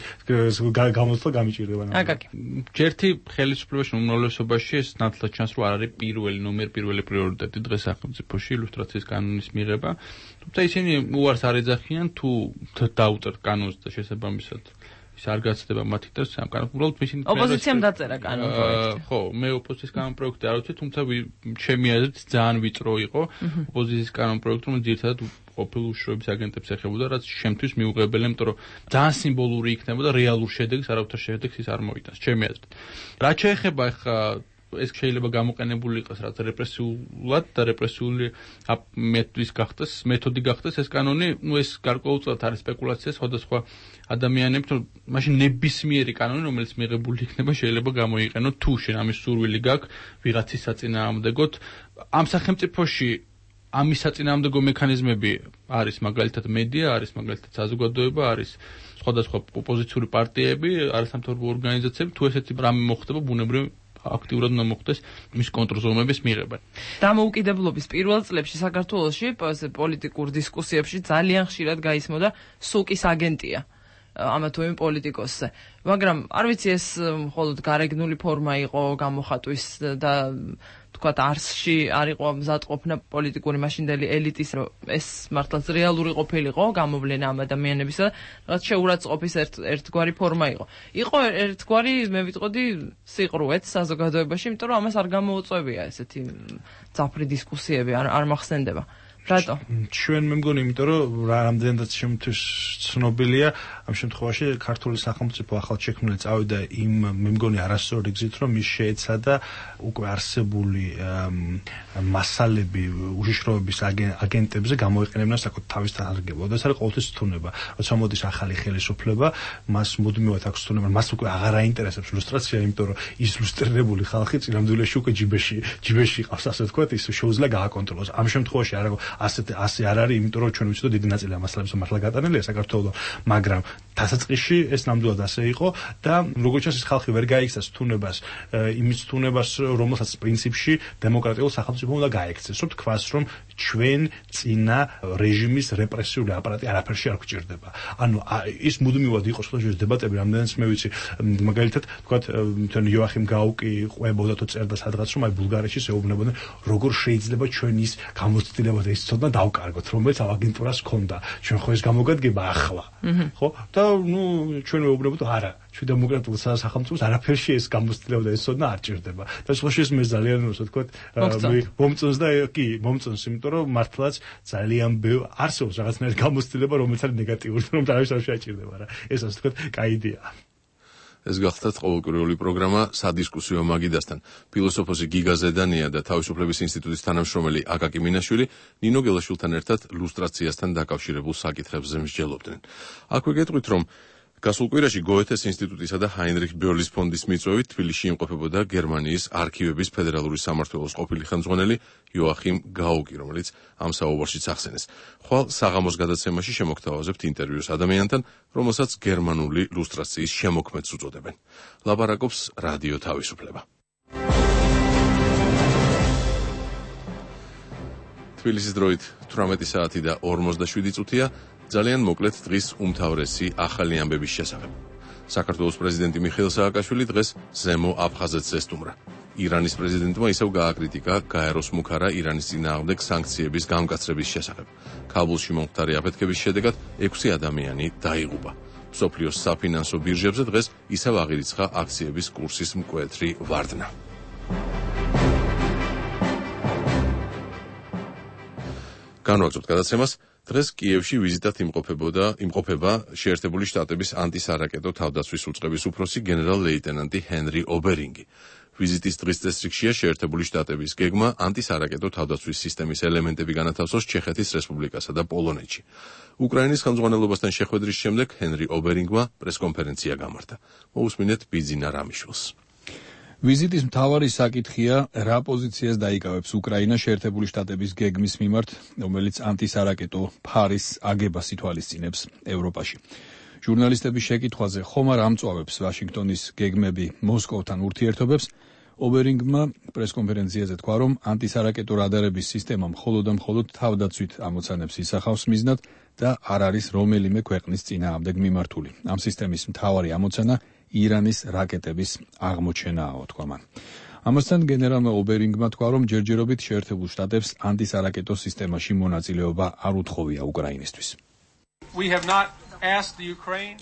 გამოცდა გამიჭირდება. აკაკი. ჯერთი ხელისუფლებაში უმრავლესობაში ეს ნათლად ჩანს, რომ არ არის პირველი ნომერ პირველი პრიორიტეტი დღეს სახელმწიფოში ილუსტრაციის კანონის მიღება. თუმცა ისინი უარს არ ეძახიან თუ დაუწერ კანონს და შესაბამისად ის არ გაცდება მათი და სამ კანონ უბრალოდ ისინი ოპოზიციამ დაწერა კანონ პროექტი. ხო, მე ოპოზიციის კანონ პროექტი არ ვიცი, თუმცა ჩემი აზრით ძალიან ვიწრო იყო ოპოზიციის კანონ პროექტი, რომელიც ძირითადად ყოფილ უშუალოების აგენტებს ეხებოდა, რაც შემთთვის მიუღებელია, იმიტომ რომ ძალიან სიმბოლური იქნებოდა, რეალურ შედეგს, არავითარ შედეგს ის არ მოიტანს, ჩემი აზრით. რაც შეეხება ახლა ეს შეიძლება გამოყენებული იყოს რაც რეპრესიულად და რეპრესიული მეთოდის გახდეს, მეთოდი გახდეს ეს კანონი, ну ეს გარკვეულწილად არის სპეკულაცია სხვადასხვა ადამიანებს, რომ მაშინ ნებისმიერი კანონი, რომელიც მიღებული იქნება, შეიძლება გამოიყენო თუ შენ ამის სურვილი გაქვს ვიღაცის საწინააღმდეგოდ. ამ სახელმწიფოში ამის საწინააღმდეგო მექანიზმები არის მაგალითად მედია, არის მაგალითად საზოგადოება, არის სხვადასხვა ოპოზიციური პარტიები, არასამთავრობო ორგანიზაციები, თუ ესეთი რამე მოხდება ბუნებრივ აქტიურად უნდა მოხდეს მის კონტრზომების მიღება. დამოუკიდებლობის პირველ წლებში საქართველოში პოლიტიკურ დისკუსიებში ძალიან ხშირად გაისმოდა სუკის აგენტია ამა თუ იმ პოლიტიკოსზე. მაგრამ არ ვიცი ეს მხოლოდ გარეგნული ფორმა იყო გამოხატვის და თქვათ არსში არ იყო მზადყოფნა პოლიტიკური მაშინდელი ელიტის, რომ ეს მართლაც რეალური ყოფილიყო გამოვლენა ამ ადამიანებისა და რაღაც შეურაცხყოფის ერთ ერთგვარი ფორმა იყო. იყო ერთგვარი მე ვიტყოდი სიყრუეც საზოგადოებაში, იმიტომ რომ ამას არ გამოუწვევია ესეთი ძაფრი დისკუსიები, არ არ მახსენდება. რატო? ჩვენ მე მგონი, იმიტომ რომ რამდენადაც შემთხვევით ცნობილია, ამ შემთხვევაში ქართული სახელმწიფო ახალ შექმნილი წავიდა იმ მე მგონი არასწორი გზით, რომ ის შეეცადა უკვე არსებული მასალები უშიშროების აგენტებზე გამოიყენებინა საკუთარ თავის თანხმდებოდ. ეს არის ყოველთვის თუნება. როცა მოდის ახალი ხელისუფლება, მას მუდმივად აქვს თუნება, მას უკვე აღარ აინტერესებს ილუსტრაცია, იმიტომ რომ ის ილუსტრირებული ხალხი წინამდვილეში უკვე ჯიბეში, ჯიბეში ყავს, ასე ვთქვათ, ის შეუძლია გააკონტროლოს. ამ შემთხვევაში არა ასე ასე არ არის, იმიტომ რომ ჩვენ ვიცით, რომ დიდი ნაწილი ამ მასალების მართლა გატანილია საქართველოს, მაგრამ დასაწყისში ეს ნამდვილად ასე იყო და როგორც ჩანს ეს ხალხი ვერ გაიქცეს თუნებას, იმის თუნებას, რომელსაც პრინციპში დემოკრატიულ სახელმწიფო უნდა გაექცეს. რომ თქვას, რომ ჩვენ წინა რეჟიმის რეპრესიული აპარატი არაფერში არ გვჭირდება. ანუ ის მუდმივად იყო სხვადასხვა დებატები, რამდენიც მე ვიცი, მაგალითად, თქვათ, თან იოახიმ გაუკი ყვებოდა თუ წერდა სადღაც, რომ აი ბულგარეთში შეეუბნებოდნენ, როგორ შეიძლება ჩვენ ის გამოცდილება და ის ცოდნა დავკარგოთ, რომელიც აგენტურას ჰქონდა. ჩვენ ხო ეს გამოგადგება ახლა. ხო? და ნუ ჩვენ მეუბნებოდ არა, ჩვენ დემოკრატიულ სახელმწიფოს არაფერში ეს გამოცდილება და ეს ცოდნა არ ჭირდება. და სხვაში ეს მე ძალიან ასე ვთქვათ, მომწონს და კი, მომწონს, იმიტომ რომ მართლაც ძალიან ბევრ არსებობს რაღაცნაირი გამოცდილება, რომელიც არის ნეგატიური, რომ თავის არ შეაჭირდება რა. ეს ასე ვთქვათ, კაი იდეაა. ეს გახლდათ ყოველკვირეული პროგრამა სადისკუსიო მაგიდასთან. ფილოსოფოსი გიგა ზედანია და თავისუფლების ინსტიტუტის თანამშრომელი აკაკი მინაშვილი ნინო გელაშვილთან ერთად ლუსტრაციასთან დაკავშირებულ საკითხებზე მსჯელობდნენ. აქვე გეტყვით, რომ გასულ კვირაში გოეთეს ინსტიტუტისა და ჰაინრიხ ბიორლის ფონდის მიწვევით თბილისში იმყოფებოდა გერმანიის არქივების ფედერალური სამმართველოს ყოფილი ხელმძღვანელი იოახიმ გაუკი, რომელიც ამ საუბარშიც ახსენეს. ხვალ საღამოს გადაცემაში შემოგთავაზებთ ინტერვიუს ადამიანთან, რომელსაც გერმანული ლუსტრაციის შემოქმედს უწოდებენ. ლაპარაკობს რადიო თავისუფლება. თბილისის დროით თვრამეტი საათი და ორმოცდაშვიდი წუთია. ძალიან მოკლედ დღის უმთავრესი ახალი ამბების შესახებ. საქართველოს პრეზიდენტი მიხეილ სააკაშვილი დღეს ზემო აფხაზეთს ესტუმრა. ირანის პრეზიდენტმა ისევ გააკრიტიკა გაეროს მუქარა ირანის წინააღმდეგ სანქციების გამკაცრების შესახებ. ქაბულში მომხდარი აფეთქების შედეგად ექვსი ადამიანი დაიღუპა. მსოფლიოს საფინანსო ბირჟებზე დღეს ისევ აღირიცხა აქციების კურსის მკვეთრი ვარდნა. განვაგრძობთ გადაცემას. დღეს კიევში ვიზიტად იმყოფებოდა იმყოფება შეერთებული შტატების ანტისარაკეტო თავდაცვის უწყების უფროსი გენერალ-ლეიტენანტი ჰენრი ობერინგი. ვიზიტის დღის წესრიგშია შეერთებული შტატების გეგმა ანტისარაკეტო თავდაცვის სისტემის ელემენტები განათავსოს ჩეხეთის რესპუბლიკასა და პოლონეთში. უკრაინის ხელმძღვანელობასთან შეხვედრის შემდეგ ჰენრი ობერინგმა პრესკონფერენცია გამართა. მოусმინეთ ბიძინა რამიშვილს. ვიზიტის მთავარი საკითხია, რა პოზიციას დაიკავებს უკრაინა შეერთებული შტატების გეგმის მიმართ, რომელიც ანტისარაკეტო ფარის აგებას ითვალისწინებს ევროპაში. ჟურნალისტების შეკითხვაზე ხომ არ ამწვავებს ვაშინგტონის გეგმები მოსკოვთან ურთიერთობებს, ობერინგმა პრესკონფერენციაზე თქვა, რომ ანტისარაკეტო რადარების სისტემა მხოლოდ და მხოლოდ თავდაცვით ამოცანებს ისახავს მიზნად და არ არის რომელიმე ქვეყნის წინააღმდეგ მიმართული. ამ სისტემის მთავარი ამოცანა ირანის რაკეტების აღმოჩენაა, თქვა მან. ამასთან გენერალმა ობერინგმა თქვა, რომ ჯერჯერობით შეერთებულ შტატებს ანტისარაკეტო სისტემაში მონაწილეობა არ უთხოვია უკრაინისთვის.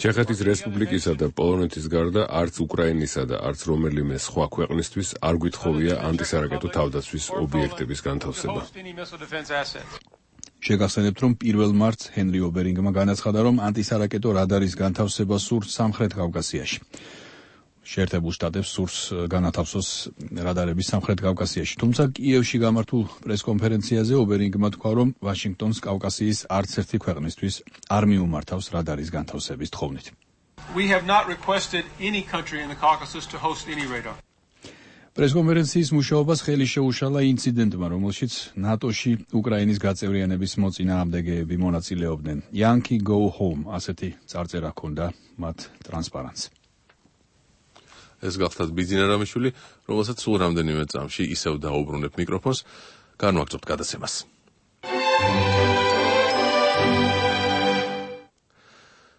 ჩეხეთის რესპუბლიკისა და პოლონეთის გარდა არც უკრაინისა და არც რომელიმე სხვა ქვეყნისთვის არ გვითხოვია ანტისარაკეტო თავდაცვის ობიექტების განთავსება. შეგახსენებთ, რომ პირველ მარტს ჰენრი ობერინგმა განაცხადა, რომ ანტისარაკეტო რადარის განთავსება სურს სამხრეთ კავკასიაში. შეერთებულ შტატებს სურს განათავსოს რადარები სამხრეთ კავკასიაში. თუმცა კიევში გამართულ პრესკონფერენციაზე ობერინგმა თქვა, რომ ვაშინგტონს კავკასიის არც ერთი ქვეყნისთვის არ მიუმართავს რადარის განთავსების თხოვნით. პრესკონფერენციის მუშაობას ხელი შეუშალა ინციდენტმა, რომელშიც ნატოში უკრაინის გაწევრიანების მოწინააღმდეგეები მონაწილეობდნენ. Yankee go home, ასეთი წარწერა ჰქონდა მათ ტრანსპარანტს. ეს გახლავთ ბიძინა რამიშვილი, რომელსაც სულ რამდენიმე წამში ისევ დაუბრუნებ მიკროფონს, განვაგრძობთ გადაცემას.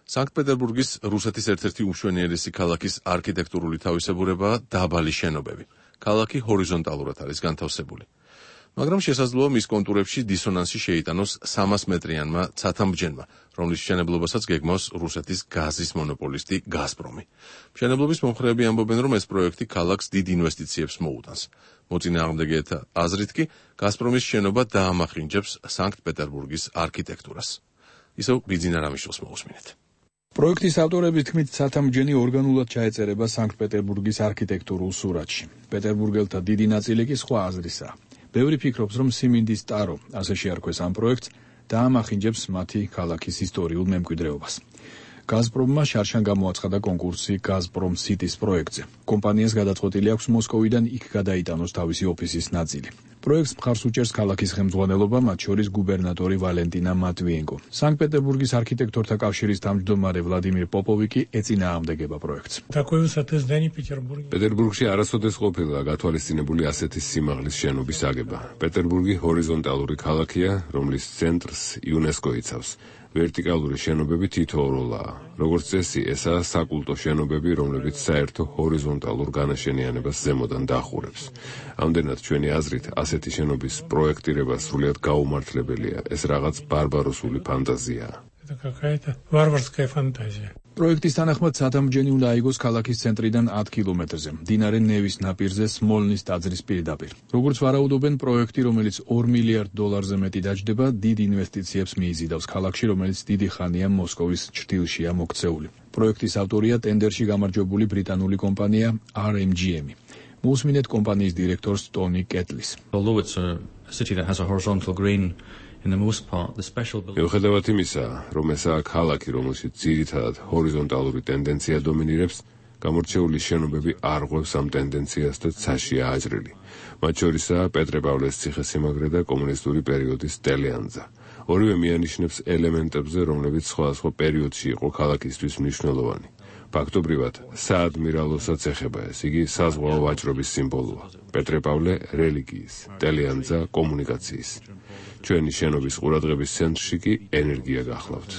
სანქტ-პეტერბურგის რუსეთის ერთ-ერთი უმშვენიერესი ქალაქის არქიტექტურული თავისებურებაა დაბალი შენობები. ქალაქი ჰორიზონტალურად არის განთავსებული. მაგრამ შესაძლოა მის კონტურებში დისონანსი შეიტანოს სამას მეტრიანმა ცათამბჯენმა, რომლის მშენებლობასაც გეგმავს რუსეთის გაზის მონოპოლისტი გაზპრომი. მშენებლობის მომხრეები ამბობენ, რომ ეს პროექტი ქალაქს დიდ ინვესტიციებს მოუტანს. მოწინააღმდეგეთა აზრით კი გაზპრომის შენობა დაამახინჯებს სანქტ-პეტერბურგის არქიტექტურას. ისევ ბიძინა რამიშვილს მოусმინეთ. პროექტის ავტორების თქმით, ცათამბჯენი ორგანულად ჩაეწერება სანქტ-პეტერბურგის არქიტექტურულ სურათში. პეტერბურგელთა დიდი ნაწილი კი სხვა აზრისაა. ბევრი ფიქრობს, რომ სიმინდის ტარო, ასე შეარქვეს ამ პროექტს, დაამახინჯებს მათი ქალაქის ისტორიულ მემკვიდრეობას. გაზპრომმა შარშან გამოაცხადა კონკურსი გაზპრომ სიტის პროექტზე. კომპანიას გადაწყვეტილი აქვს მოსკოვიდან იქ გადაიტანოს თავისი ოფისის ნაწილი. პროექტს მხარს უჭერს ქალაქის ხელმძღვანელობა, მათ შორის გუბერნატორი ვალენტინა მატვიენკო. სანქტ-პეტერბურგის არქიტექტორთა კავშირის თავმჯდომარე ვლადიმირ პოპოვი კი ეწინააღმდეგება პროექტს. პეტერბურგში არასოდეს ყოფილა გათვალისწინებული ასეთი სიმაღლის შენობის აგება. პეტერბურგი ჰორიზონტალური ქალაქია, რომლის ცენტრს იუნესკო იცავს. ვერტიკალური შენობები თითოეულაა. როგორც წესი, ესაა საკულტო შენობები, რომლებიც საერთო ჰორიზონტალურ განაშენიანებას ზემოდან დაახურებს. ამდენად ჩვენი აზრით, ასეთი შენობის პროექტირება სრულიად გაუმართლებელია. ეს რაღაც ბარბაროსული ფანტაზიაა. პროექტის თანახმად ცათამბჯენი უნდა აიგოს ქალაქის ცენტრიდან ათ კილომეტრზე, მდინარე ნევის ნაპირზე სმოლნის ტაძრის პირდაპირ. როგორც ვარაუდობენ, პროექტი, რომელიც ორ მილიარდ დოლარზე მეტი დაჯდება, დიდ ინვესტიციებს მიიზიდავს ქალაქში, რომელიც დიდი ხანია მოსკოვის ჩრდილშია მოქცეული. პროექტის ავტორია ტენდერში გამარჯვებული brიტანული კომპანია R M G M. მოусმინეთ კომპანიის დირექტორს ტონი კეტლის. მიუხედავად იმისა, რომ ესაა ქალაქი, რომელშიც ძირითადად ჰორიზონტალური ტენდენცია დომინირებს, გამორჩეული შენობები არ ღვევს ამ ტენდენციას და ცაშია აჭრილი. მათ შორისაა პეტრე-პავლეს ციხესიმაგრე და კომუნისტური პერიოდის ტელეანძა. ორივე მიანიშნებს ელემენტებზე, რომლებიც სხვადასხვა პერიოდში იყო ქალაქისთვის მნიშვნელოვანი. ფაქტობრივად, საადმირალოსაც ეხება ეს, იგი საზღვაო ვაჭრობის სიმბოლოა. პეტრე-პავლე რელიგიის, ტელეანძა კომუნიკაციის. ჩვენი შენობის ყურადღების ცენტრში კი ენერგია გახლავთ.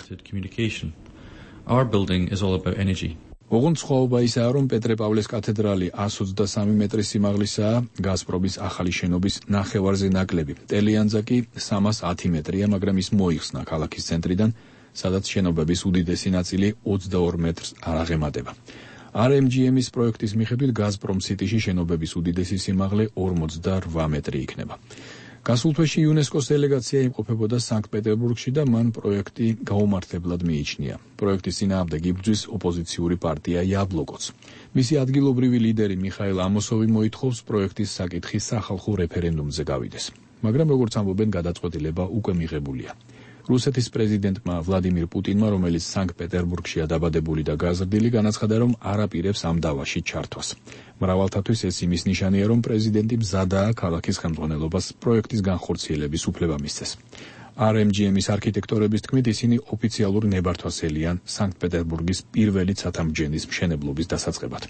ოღონდ სხვაობა ისაა, რომ პეტრე-პავლეს კათედრალი εκατს ოცდასამი მეტრის სიმაღლისაა, გაზპრომის ახალი შენობის ნახევარზე ნაკლები. ტელეანძა კი სამას ათი მეტრია, მაგრამ ის მოიხსნა ქალაქის ცენტრიდან, სადაც შენობების უდიდესი ნაწილი ოცდაორ მეტრს არ აღემატება. R M G M-ის პროექტის მიხედვით გაზპრომ სიტიში შენობების უდიდესი სიმაღლე ორმოცდარვა მეტრი იქნება. გასულ თვეში იუნესკოს დელეგაცია იმყოფებოდა სანქტ-პეტერბურგში და მან პროექტი გაუმართლებლად მიიჩნია. პროექტის წინააღმდეგ იბრძვის ოპოზიციური პარტია იაბლოკოც. მისი ადგილობრივი ლიდერი მიხაილ ამოსოვი მოითხოვს პროექტის საკითხი სახალხო რეფერენდუმზე გავიდეს. მაგრამ როგორც ამბობენ, გადაწყვეტილება უკვე მიღებულია. რუსეთის პრეზიდენტმა ვლადიმირ პუტინმა, რომელიც სანქტ-პეტერბურგშია დაბადებული და გაზრდილი, განაცხადა, რომ არ აპირებს ამ დავაში ჩართვას. მრავალთათვის ეს იმის ნიშანია, რომ პრეზიდენტი მზადაა ქალაქის ხელმძღვანელობას პროექტის განხორციელების უფლება მისცეს. R M G M-ის არქიტექტორების თქმით, ისინი ოფიციალურ ნებართვას ელიან სანქტ-პეტერბურგის პირველი ცათამბჯენის მშენებლობის დასაწყებად.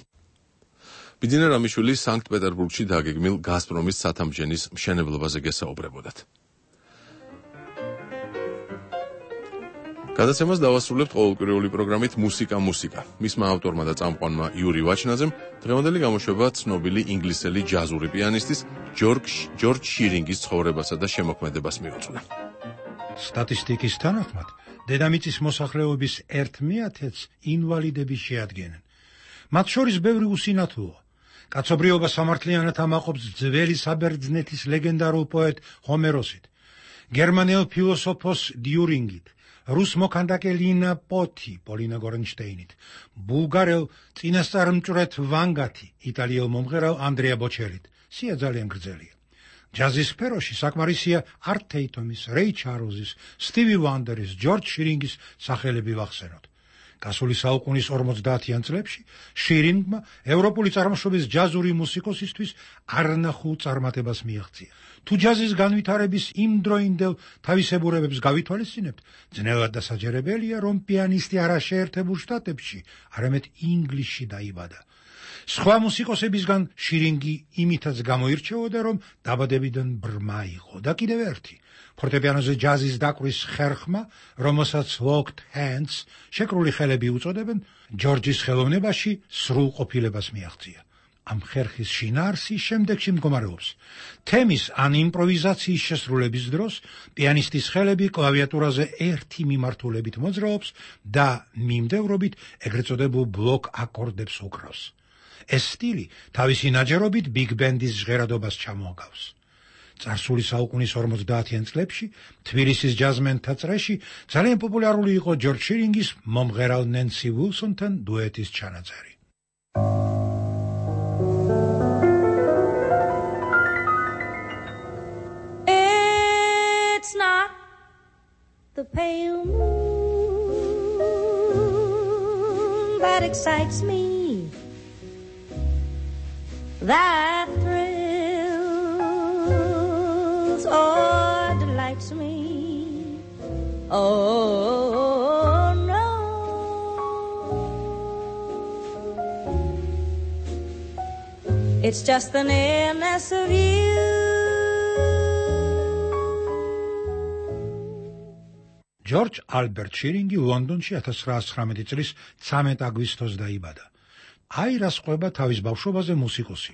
ბიძინა რამიშვილი სანქტ-პეტერბურგში დაგეგმილ გაზპრომის სათამბჯენის მშენებლობაზე გესაუბრებოდათ. გადაცემას დავასრულებთ ყოველკვირეული პროგრამით მუსიკა მუსიკა. მისმა ავტორმა და წამყვანმა იური ვაჩნაძემ დღევანდელი გამოშვება ცნობილი ინგლისელი ჯაზური პიანისტის ჯორჯ ჯორჯ შირინგის ცხოვრებასა და შემოქმედებას მიუძღვნა. სტატისტიკის თანახმად, დედამიწის მოსახლეობის ერთ მეათედს ინვალიდები შეადგენენ. მათ შორის ბევრი უსინათლოა. კაცობრიობა სამართლიანად ამაყობს ძველი საბერძნეთის ლეგენდარულ პოეტ ჰომეროსით, გერმანელ ფილოსოფოს დიურინგით, რუს მოქანდაკე ლინა პოთი, პოლინა გორენშტეინით, ბულგარელ წინასწარმჭვრეთ ვანგათი, იტალიელ მომღერალ ანდრეა ბოჩელით. სია ძალიან გრძელია. ჯაზის სფეროში საკმარისია არტ თეიტომის, რეი ჩარლზის, სტივი ვანდერის, ჯორჯ შირინგის სახელები ვახსენოთ. გასული საუკუნის ორმოცდაათიან წლებში შირინგმა ევროპული წარმოშობის ჯაზური მუსიკოსისთვის არნახულ წარმატებას მიაღწია. თუ ჯაზის განვითარების იმდროინდელ თავისებურებებს გავითვალისწინებთ, ძნელად დასაჯერებელია, რომ პიანისტი არა შეერთებულ შტატებში, არამედ ინგლისში დაიბადა. სხვა მუსიკოსებისგან შირინგი იმითაც გამოირჩეოდა, რომ დაბადებიდან ბრმა იყო და კიდევ ერთი ფორტეპიანოზე ჯაზის დაკვრის ხერხმა, რომელსაც locked hands, შეკრული ხელები უწოდებენ, ჯორჯის ხელოვნებაში სრულყოფილებას მიაღწია. ამ ხერხის შინაარსი შემდეგში მდგომარეობს. თემის ან იმპროვიზაციის შესრულების დროს პიანისტის ხელები კლავიატურაზე ერთი მიმართულებით მოძრაობს და მიმდევრობით ეგრეთ წოდებულ ბლოკ აკორდებს უკრავს. ეს სტილი თავისი ნაჯერობით ბიგ ბენდის ჟღერადობას ჩამოაგავს. წარსული საუკუნის ორმოცდაათიან წლებში თბილისის ჯაზმენთა წრეში ძალიან პოპულარული იყო ჯორჯ შირინგის მომღერალ ნენსი ვილსონთან დუეტის ჩანაწერი. It's not the pale moon that excites me, that thrills or delights me. Oh no, it's just the nearness of you. ჯორჯ ალბერტ შირინგი ლონდონში ათას ცხრაასი ცხრამეტი წლის ცამეტ აგვისტოს დაიბადა. აი რას ყვება თავის ბავშვობაზე მუსიკოსი.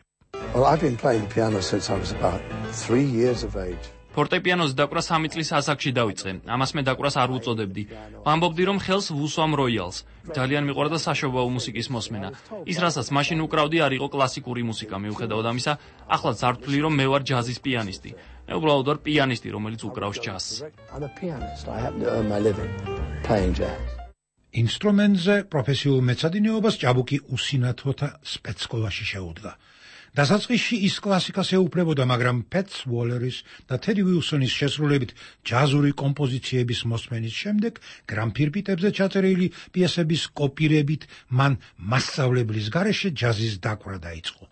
Well, I've been playing the piano since I was about three years of age. ფორტეპიანოს დაკვრა სამი წლის ასაკში დავიწყე. ამას მე დაკვრას არ უწოდებდი. ვამბობდი, რომ ხელს ვუსვამ როიალს. ძალიან მიყვარდა საშობაო მუსიკის მოსმენა. ის, რასაც მაშინ უკრავდი, არ იყო კლასიკური მუსიკა. მიუხედავად ამისა, ახლაც არ ვთვლი, რომ მე ვარ ჯაზის პიანისტი. მე უბრალოდ ვარ პიანისტი, რომელიც უკრავს ჯაზს. I'm a pianist. I happen to earn my living playing jazz. ინსტრუმენტზე პროფესიულ მეცადინეობას ჭაბუკი უსინათლოთა სპეცსკოლაში შეუდგა. დასაწყისში ის კლასიკას ეუფლებოდა, მაგრამ პეტს უოლერის და თედი ვილსონის შესრულებით ჯაზური კომპოზიციების მოსმენის შემდეგ გრამფირფიტებზე ჩაწერილი პიესების კოპირებით მან მასწავლებლის გარეშე ჯაზის დაკვრა დაიწყო.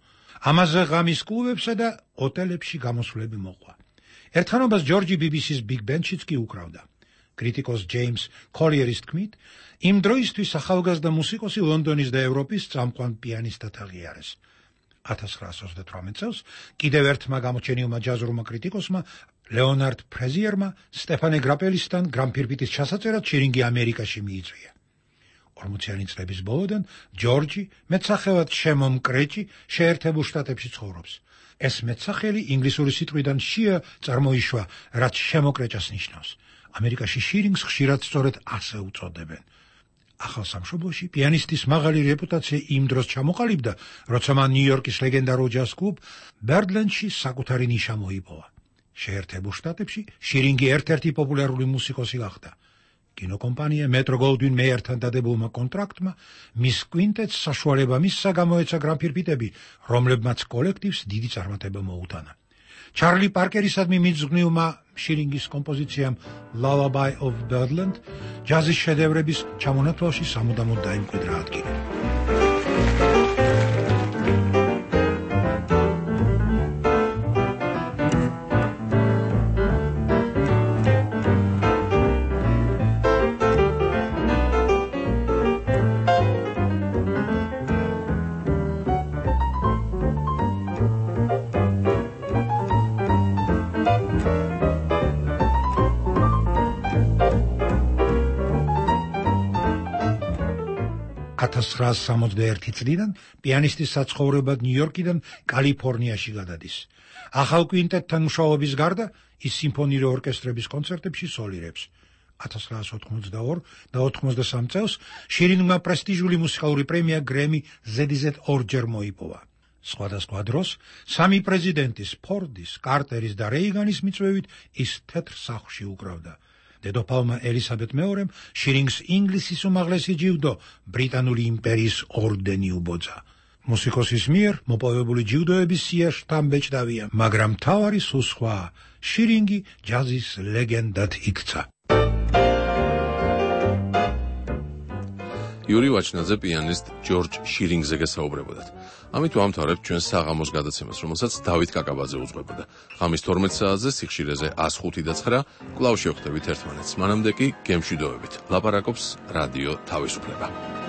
ამაზე ღამის კლუბებსა და ოტელებში გამოსვლები მოყვა. ერთხანობას ჯორჯი ბი ბი სის ბიგ ბენდშიც კი უკრავდა. კრიტიკოს ჯეიმს კოლიერის თქმით, იმ დროისთვის ახალგაზრდა მუსიკოსი ლონდონის და ევროპის წამყვან პიანისტად აღიარეს. ათას ცხრაასი ოცდათვრამეტ წელს კიდევ ერთმა გამოჩენილმა ჯაზურმა კრიტიკოსმა ლეონარდ ფრეზიერმა სტეფანე გრაპელისთან გრამფირფიტის ჩასაწერად შირინგი ამერიკაში მიიწვია. ორმოციანი წლების ბოლოდან ჯორჯი მეტსახელად შემომკრეჭი შეერთებულ შტატებში ცხოვრობს. ეს მეტსახელი ინგლისური სიტყვიდან sheer წარმოიშვა, რაც შემოკრეჭას ნიშნავს. ამერიკაში შირინგს ხშირად სწორედ ასე უწოდებენ. ახალ სამშობლოში პიანისტის მაღალი რეპუტაცია იმ დროს ჩამოყალიბდა, როცა მან ნიუ-იორკის ლეგენდარულ ჯაზ კლუბ ბერდლენდში საკუთარი ნიშა მოიპოვა. შეერთებულ შტატებში შირინგი ერთ-ერთი პოპულარული მუსიკოსი გახდა. კინოკომპანია მეტრო გოლდვინ მეიერთან დადებულმა კონტრაქტმა მის კვინტეტს საშუალება მისცა გამოეცა გრამფირფიტები, რომლებმაც კოლექტივს დიდი წარმატება მოუტანა. ჩარლი პარკერისადმი მიძღვნილმა შირინგის კომპოზიციამ Lullaby of Birdland ჯაზის შედევრების ჩამონათვალში სამუდამოდ დაიმკვიდრა ადგილი. ათას ცხრაასი სამოცდაერთი წლიდან პიანისტის საცხოვრებლად ნიუ-იორკიდან კალიფორნიაში გადადის. ახალ კვინტეტთან მუშაობის გარდა ის სიმფონიური ორკესტრების კონცერტებში სოლირებს. ათას ცხრაასი ოთხმოცდაორი და ოთხმოცდასამი წელს შირინგმა პრესტიჟული მუსიკალური პრემია გრემი ზედიზედ ორჯერ მოიპოვა. სხვადასხვა დროს სამი პრეზიდენტის, ფორდის, კარტერის და რეიგანის მიწვევით ის თეთრ სახლში უკრავდა. დედოფალმა ელისაბედ მეორემ შირინგს ინგლისის უმაღლესი ჯილდო ბრიტანული იმპერიის ორდენი უბოძა. მუსიკოსის მიერ მოპოვებული ჯილდოების სია შთამბეჭდავია, მაგრამ მთავარი სულ სხვაა. შირინგი ჯაზის ლეგენდად იქცა. იური ვაჩნაძე პიანისტ ჯორჯ შირინგზე გესაუბრებოდათ. ამით ვამთავრებთ ჩვენს საღამოს გადაცემას, რომელსაც დავით კაკაბაძე უძღვებოდა. ღამის თორმეტ საათზე სიხშირეზე ას ხუთი და ცხრა კვლავ შევხვდებით ერთმანეთს. მანამდე კი გემშვიდობებით. ლაპარაკობს რადიო თავისუფლება.